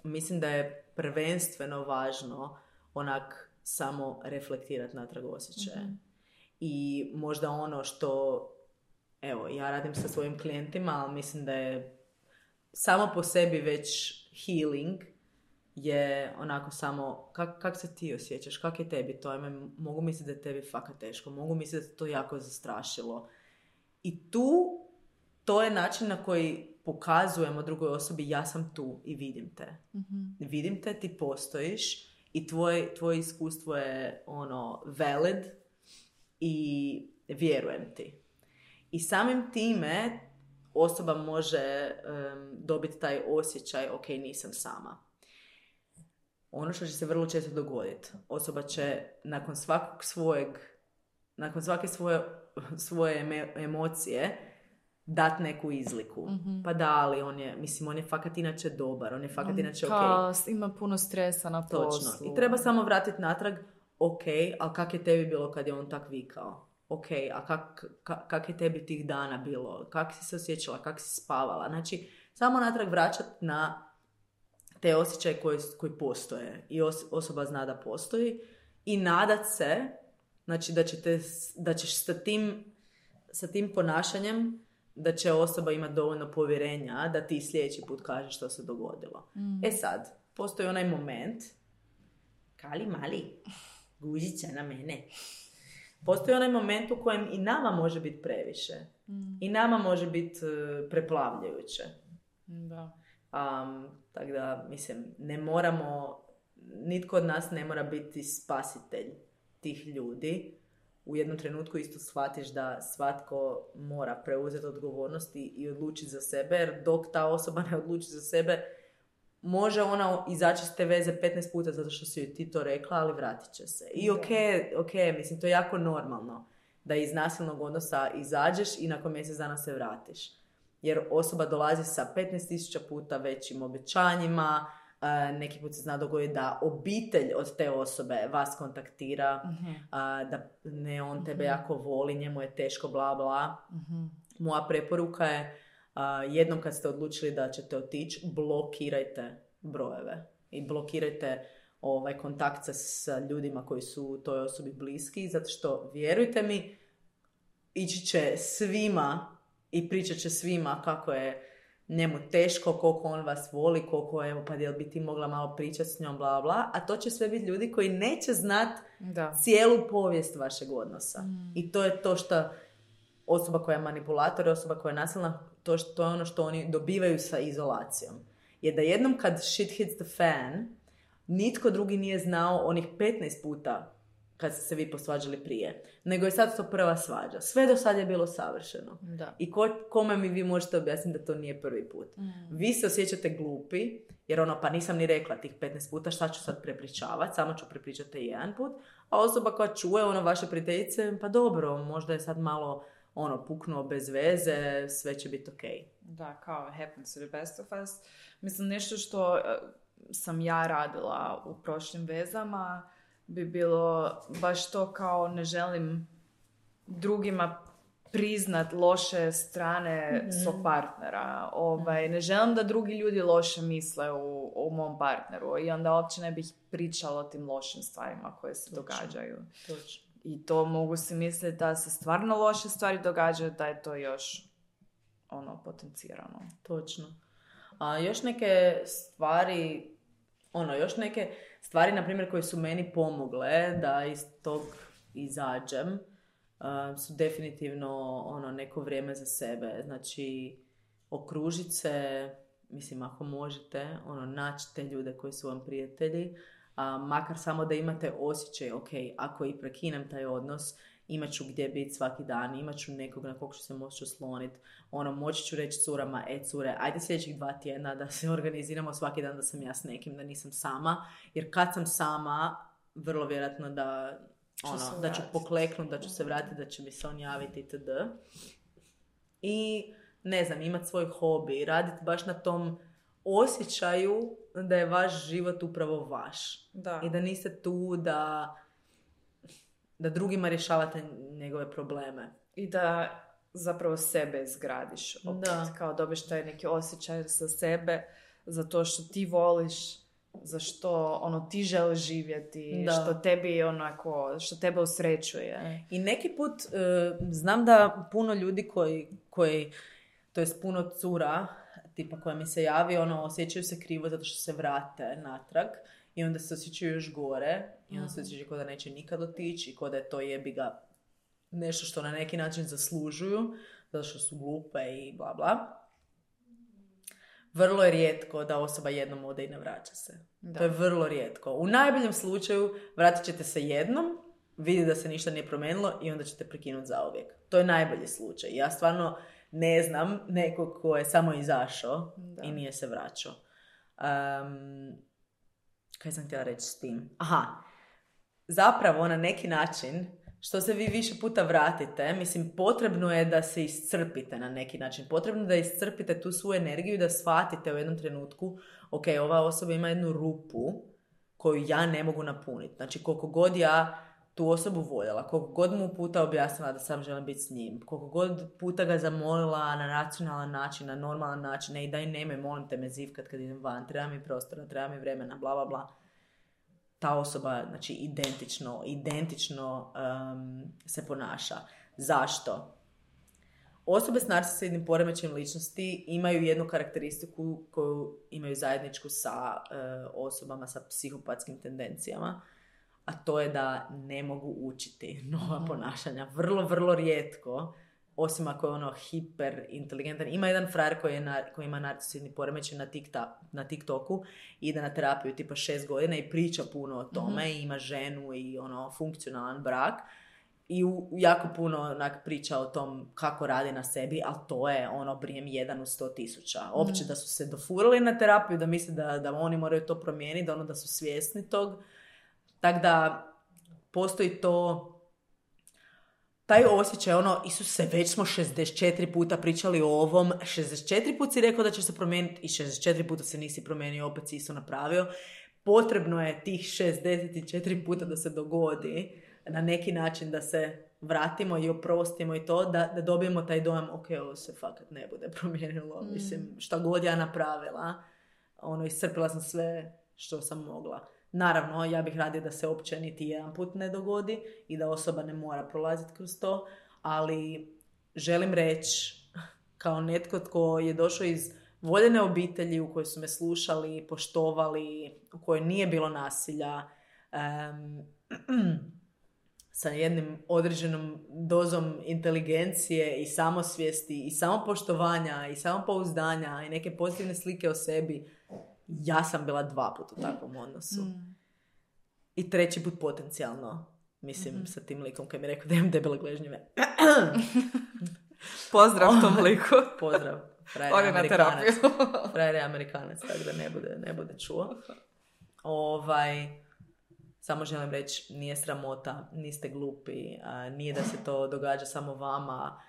mislim da je prvenstveno važno onak samo reflektirati natrag osjećaje. Mm-hmm. I možda ono što, evo, ja radim sa svojim klijentima, ali mislim da je samo po sebi već healing, je onako samo, kak, kak se ti osjećaš, kak je tebi to, ajme, mogu misliti da je tebi fakat teško, mogu misliti da je to jako zastrašilo. I tu, to je način na koji pokazujemo drugoj osobi, ja sam tu i vidim te. Mm-hmm. Vidim te, ti postojiš i tvoj, tvoje iskustvo je ono, valid i vjerujem ti. I samim time osoba može um, dobiti taj osjećaj, ok, nisam sama. Ono što će se vrlo često dogoditi, osoba će nakon svakog svojeg, nakon svake svoje, svoje eme, emocije dati neku izliku. Mm-hmm. Pa da, ali on je, mislim, on je fakat inače dobar, on je fakat inače okej. Okay. Ima puno stresa na poslu. Točno. I treba samo vratiti natrag, ok, ali kak je tebi bilo kad je on tak vikao? Ok, a kak, kak, kak je tebi tih dana bilo? Kak si se osjećala? Kak si spavala? Znači, samo natrag vraćati na te osjećaje koji, koji postoje i os, osoba zna da postoji i nadat se, znači da, ćete, da ćeš sa tim, sa tim ponašanjem da će osoba imati dovoljno povjerenja da ti sljedeći put kažeš što se dogodilo. Mm. E sad, postoji onaj moment, kali mali, guzica na mene. Postoji onaj moment u kojem i nama može biti previše. Mm. I nama može biti uh, preplavljujuće. Da. Um, tako da, mislim, ne moramo, nitko od nas ne mora biti spasitelj tih ljudi. U jednom trenutku isto shvatiš da svatko mora preuzeti odgovornost i odlučiti za sebe, jer dok ta osoba ne odluči za sebe, može ona izaći s te veze petnaest puta zato što si joj ti to rekla, ali vratit će se. I ok, ok, mislim, to je jako normalno da iz nasilnog odnosa izađeš i nakon mjesec dana se vratiš. Jer osoba dolazi sa petnaest tisuća puta većim obećanjima, uh, neki put se zna dogoditi da obitelj od te osobe vas kontaktira, mm-hmm. uh, da ne, on tebe mm-hmm. jako voli, njemu je teško, bla, bla. Mm-hmm. Moja preporuka je, uh, jednom kad ste odlučili da ćete otići, blokirajte brojeve i blokirajte ovaj kontakt sa ljudima koji su toj osobi bliski, zato što, vjerujte mi, ići će svima i pričat će svima kako je njemu teško, koliko on vas voli, koliko, evo, pa jel bi ti mogla malo pričati s njom, bla, bla, a to će sve biti ljudi koji neće znat da. cijelu povijest vašeg odnosa. Mm. I to je to što osoba koja je manipulator, osoba koja je nasilna, to, što, to je ono što oni dobivaju sa izolacijom. Jer da jednom kad shit hits the fan, nitko drugi nije znao onih petnaest puta kad ste se vi posvađali prije, nego je sad to prva svađa. Sve do sad je bilo savršeno. Da. I ko, kome mi vi možete objasniti da to nije prvi put. Mm. Vi se osjećate glupi, jer ono, pa nisam ni rekla tih petnaest puta, šta ću sad prepričavati, samo ću prepričati jedan put, a osoba koja čuje, ono, vaše prijateljice, pa dobro, možda je sad malo, ono, puknuo bez veze, sve će biti okej. Okay. Da, kao happens to the best of us. Mislim, nešto što uh, sam ja radila u prošlim vezama bi bilo baš to kao ne želim drugima priznat loše strane mm-hmm. svog partnera. Ovaj, ne želim da drugi ljudi loše misle u, u mom partneru i onda uopće ne bih pričala o tim lošim stvarima koje se Točno. događaju. Točno. I to mogu si misliti da se stvarno loše stvari događaju, da je to još ono potencirano. Točno. A još neke stvari, ono, još neke stvari, na primjer, koje su meni pomogle da iz tog izađem, uh, su definitivno ono, neko vrijeme za sebe. Znači, okružiti se, mislim, ako možete, ono, naći te ljude koji su vam prijatelji, a makar samo da imate osjećaj, ok, ako i prekinem taj odnos, imat ću gdje biti svaki dan, imat ću nekog na kog ću se moći osloniti, ono, moći ću reći curama, e cure, ajde sljedećih dva tjedna da se organiziramo svaki dan da sam ja s nekim, da nisam sama, jer kad sam sama, vrlo vjerojatno da, ono, da ću pokleknuti, da ću se vratiti, da će mi se on javiti itd. I, ne znam, imati svoj hobi, raditi baš na tom osjećaju da je vaš život upravo vaš. Da. I da niste tu da, da drugima rješavate njegove probleme. I da zapravo sebe izgradiš. Opet, da. Kao dobiš taj neki osjećaj za sebe, za to što ti voliš, za što ono, ti želiš živjeti, da. što tebi onako, što tebe usrećuje. I neki put uh, znam da puno ljudi koji, koji to jest puno cura, tipa koja mi se javi, ono, osjećaju se krivo zato što se vrate natrag i onda se osjećaju još gore i onda se osjećaju kao da neće nikad otići i kao da je to jebiga nešto što na neki način zaslužuju zato što su glupe i bla bla. Vrlo je rijetko da osoba jednom ode i ne vraća se. Da. To je vrlo rijetko. U najboljem slučaju vratit ćete se jednom, vidjeti da se ništa nije promijenilo i onda ćete prekinuti zauvijek. To je najbolji slučaj. Ja stvarno ne znam nekog ko je samo izašao da. i nije se vraćao. Um, kaj sam htjela reći s tim? Aha, zapravo na neki način, što se vi više puta vratite, mislim, potrebno je da se iscrpite na neki način. Potrebno je da iscrpite tu svoju energiju i da shvatite u jednom trenutku, ok, ova osoba ima jednu rupu koju ja ne mogu napuniti. Znači, koliko god ja tu osobu voljela, koliko god mu puta objasnila da sam želim biti s njim, koliko god puta ga zamolila na racionalan način, na normalan način, ne i daj nemoj, molim te me zivkat kad idem van, treba mi prostora, treba mi vremena, bla, bla, bla. Ta osoba, znači, identično, identično um, se ponaša. Zašto? Osobe s narcisoidnim poremećajem ličnosti imaju jednu karakteristiku koju imaju zajedničku sa uh, osobama sa psihopatskim tendencijama, a to je da ne mogu učiti nova ponašanja. Vrlo, vrlo rijetko, osim ako je ono hiper inteligentan. Ima jedan frajer koji, je na, koji ima narcisoidni poremećaj na, tikta, na TikToku, ide na terapiju tipa šest godina i priča puno o tome, mm-hmm. i ima ženu i ono funkcionalan brak. I u, jako puno onak, priča o tom kako radi na sebi, ali to je ono brijem jedan u sto tisuća. Opće mm. da su se dofurali na terapiju, da misle da, da oni moraju to promijeniti, da ono da su svjesni tog. Tako da postoji to, taj osjećaj, ono, Isuse, već smo šezdeset četiri puta pričali o ovom, šezdeset četiri puta si rekao da će se promijeniti i šezdeset četiri puta se nisi promijenio, opet si isto napravio. Potrebno je tih šezdeset četiri puta da se dogodi na neki način da se vratimo i oprostimo i to, da, da dobijemo taj dojam, ok, ovo se fakat ne bude promijenilo, mm. mislim, šta god ja napravila, ono, iscrpila sam sve što sam mogla. Naravno, ja bih radila da se uopće niti jedan put ne dogodi i da osoba ne mora prolaziti kroz to, ali želim reći, kao netko tko je došao iz voljene obitelji u kojoj su me slušali, poštovali, u kojoj nije bilo nasilja, um, sa jednim određenom dozom inteligencije i samosvijesti i samopoštovanja i samopouzdanja i neke pozitivne slike o sebi, ja sam bila dva puta u takvom odnosu. Mm. I treći put potencijalno. Mislim, mm-hmm. sa tim likom koji mi je rekao da imam debele gležnjeve. Pozdrav tom liku. Pozdrav. On je na terapiju. Frajer je Amerikanac, tako da ne bude, ne bude čuo. Ovaj, samo želim reći, nije sramota, niste glupi, a, nije da se to događa samo vama.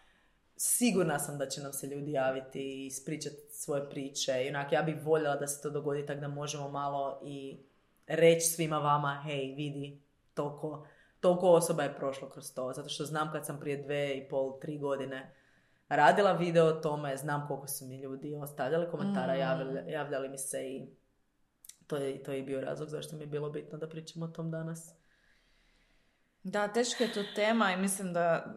Sigurna sam da će nam se ljudi javiti i ispričati svoje priče. I onak, ja bih voljela da se to dogodi tako da možemo malo i reći svima vama, hej, vidi, toliko, toliko osoba je prošlo kroz to. Zato što znam kad sam prije dve i pol, tri godine radila video o tome, znam koliko su mi ljudi ostavljali komentara, mm. javljali, javljali mi se i to je, to je bio razlog zašto mi je bilo bitno da pričamo o tom danas. Da, teška je to tema i mislim da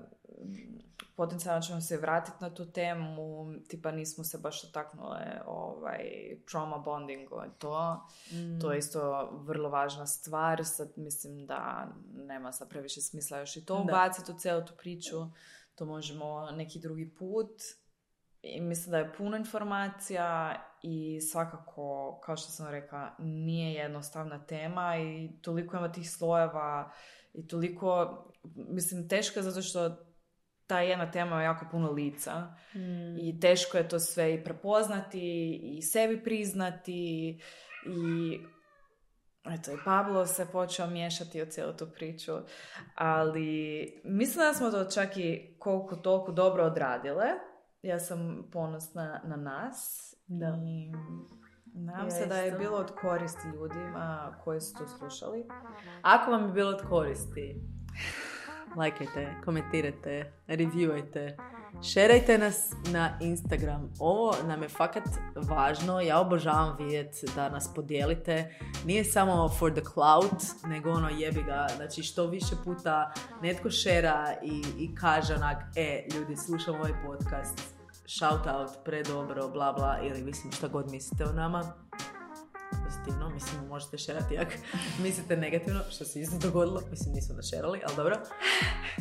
potencijalno ćemo se vratiti na tu temu, tipa nismo se baš dotaknule ovaj, trauma bondingu i to. Mm. To je isto vrlo važna stvar, sad mislim da nema sad previše smisla još i to ubaciti u cijelu tu priču. To možemo neki drugi put. I mislim da je puno informacija i svakako, kao što sam rekla, nije jednostavna tema i toliko ima tih slojeva i toliko, mislim, teško je zato što ta jedna tema ima jako puno lica mm. i teško je to sve i prepoznati i sebi priznati i eto, i Pablo se počeo miješati u cijelu tu priču, ali mislim da smo to čak i koliko toliko dobro odradile. Ja sam ponosna na nas da. I nadam ja se da je isto. bilo od koristi ljudima koji su to slušali. Ako vam je bilo od koristi, lajkajte, komentirajte, reviewajte, šerajte nas na Instagram. Ovo nam je fakat važno. Ja obožavam vidjeti da nas podijelite. Nije samo for the clout, nego ono jebi ga. Znači što više puta netko šera i, i kaže onak, e, ljudi, slušam ovaj podcast, shout out, predobro, bla bla, ili mislim šta god mislite o nama. Pozitivno, mislim, možete šerati ako mislite negativno, što se isto dogodilo. Mislim, nismo da šerali, ali dobro.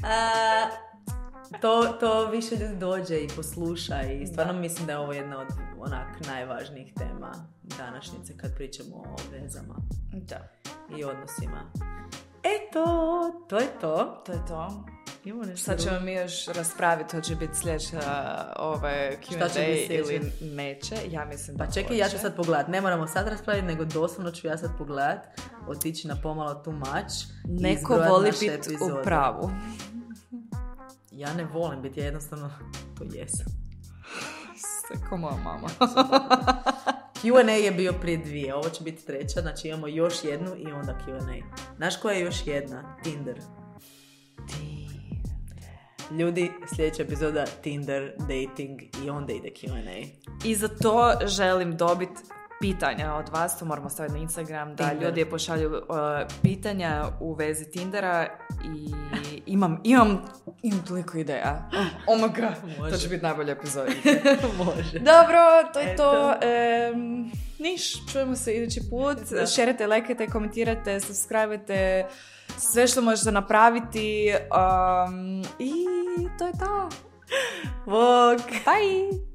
A, to, to više ljudi dođe i posluša i stvarno da. Mislim da je ovo jedna od onak najvažnijih tema današnjice kad pričamo o vezama da. I odnosima. Eto, to je to. To je to. Sad Sad ćemo mi još raspraviti, hoće biti sljedeća ove Q and A ili neće. Ja mislim da Pa čekaj, hoće. ja ću sad pogledat. Ne moramo sad raspraviti, nego doslovno ću ja sad pogledat, otići na pomalo too much. Neko voli biti u pravu. Ja ne volim biti, ja jednostavno to jesam. Ko moja mama. Q and A je bio prije dvije, ovo će biti treća, znači imamo još jednu i onda Q and A. Znaš koja je još jedna? Tinder. Ljudi, sljedeća epizoda Tinder, dating i onda ide Q and A. I za to želim dobiti pitanja od vas, to moramo staviti na Instagram, da Tinder. Ljudi pošalju uh, pitanja u vezi Tindera i imam, imam, imam toliko ideja. Oh my god, Može. To će biti najbolja epizoda. Može. Dobro, to je Eto. to. Um, niš, čujemo se idući put. Šerite, lajkajte, komentirajte, subscribe-ajte, sve što možete napraviti um, i to je to. Bog. Bye.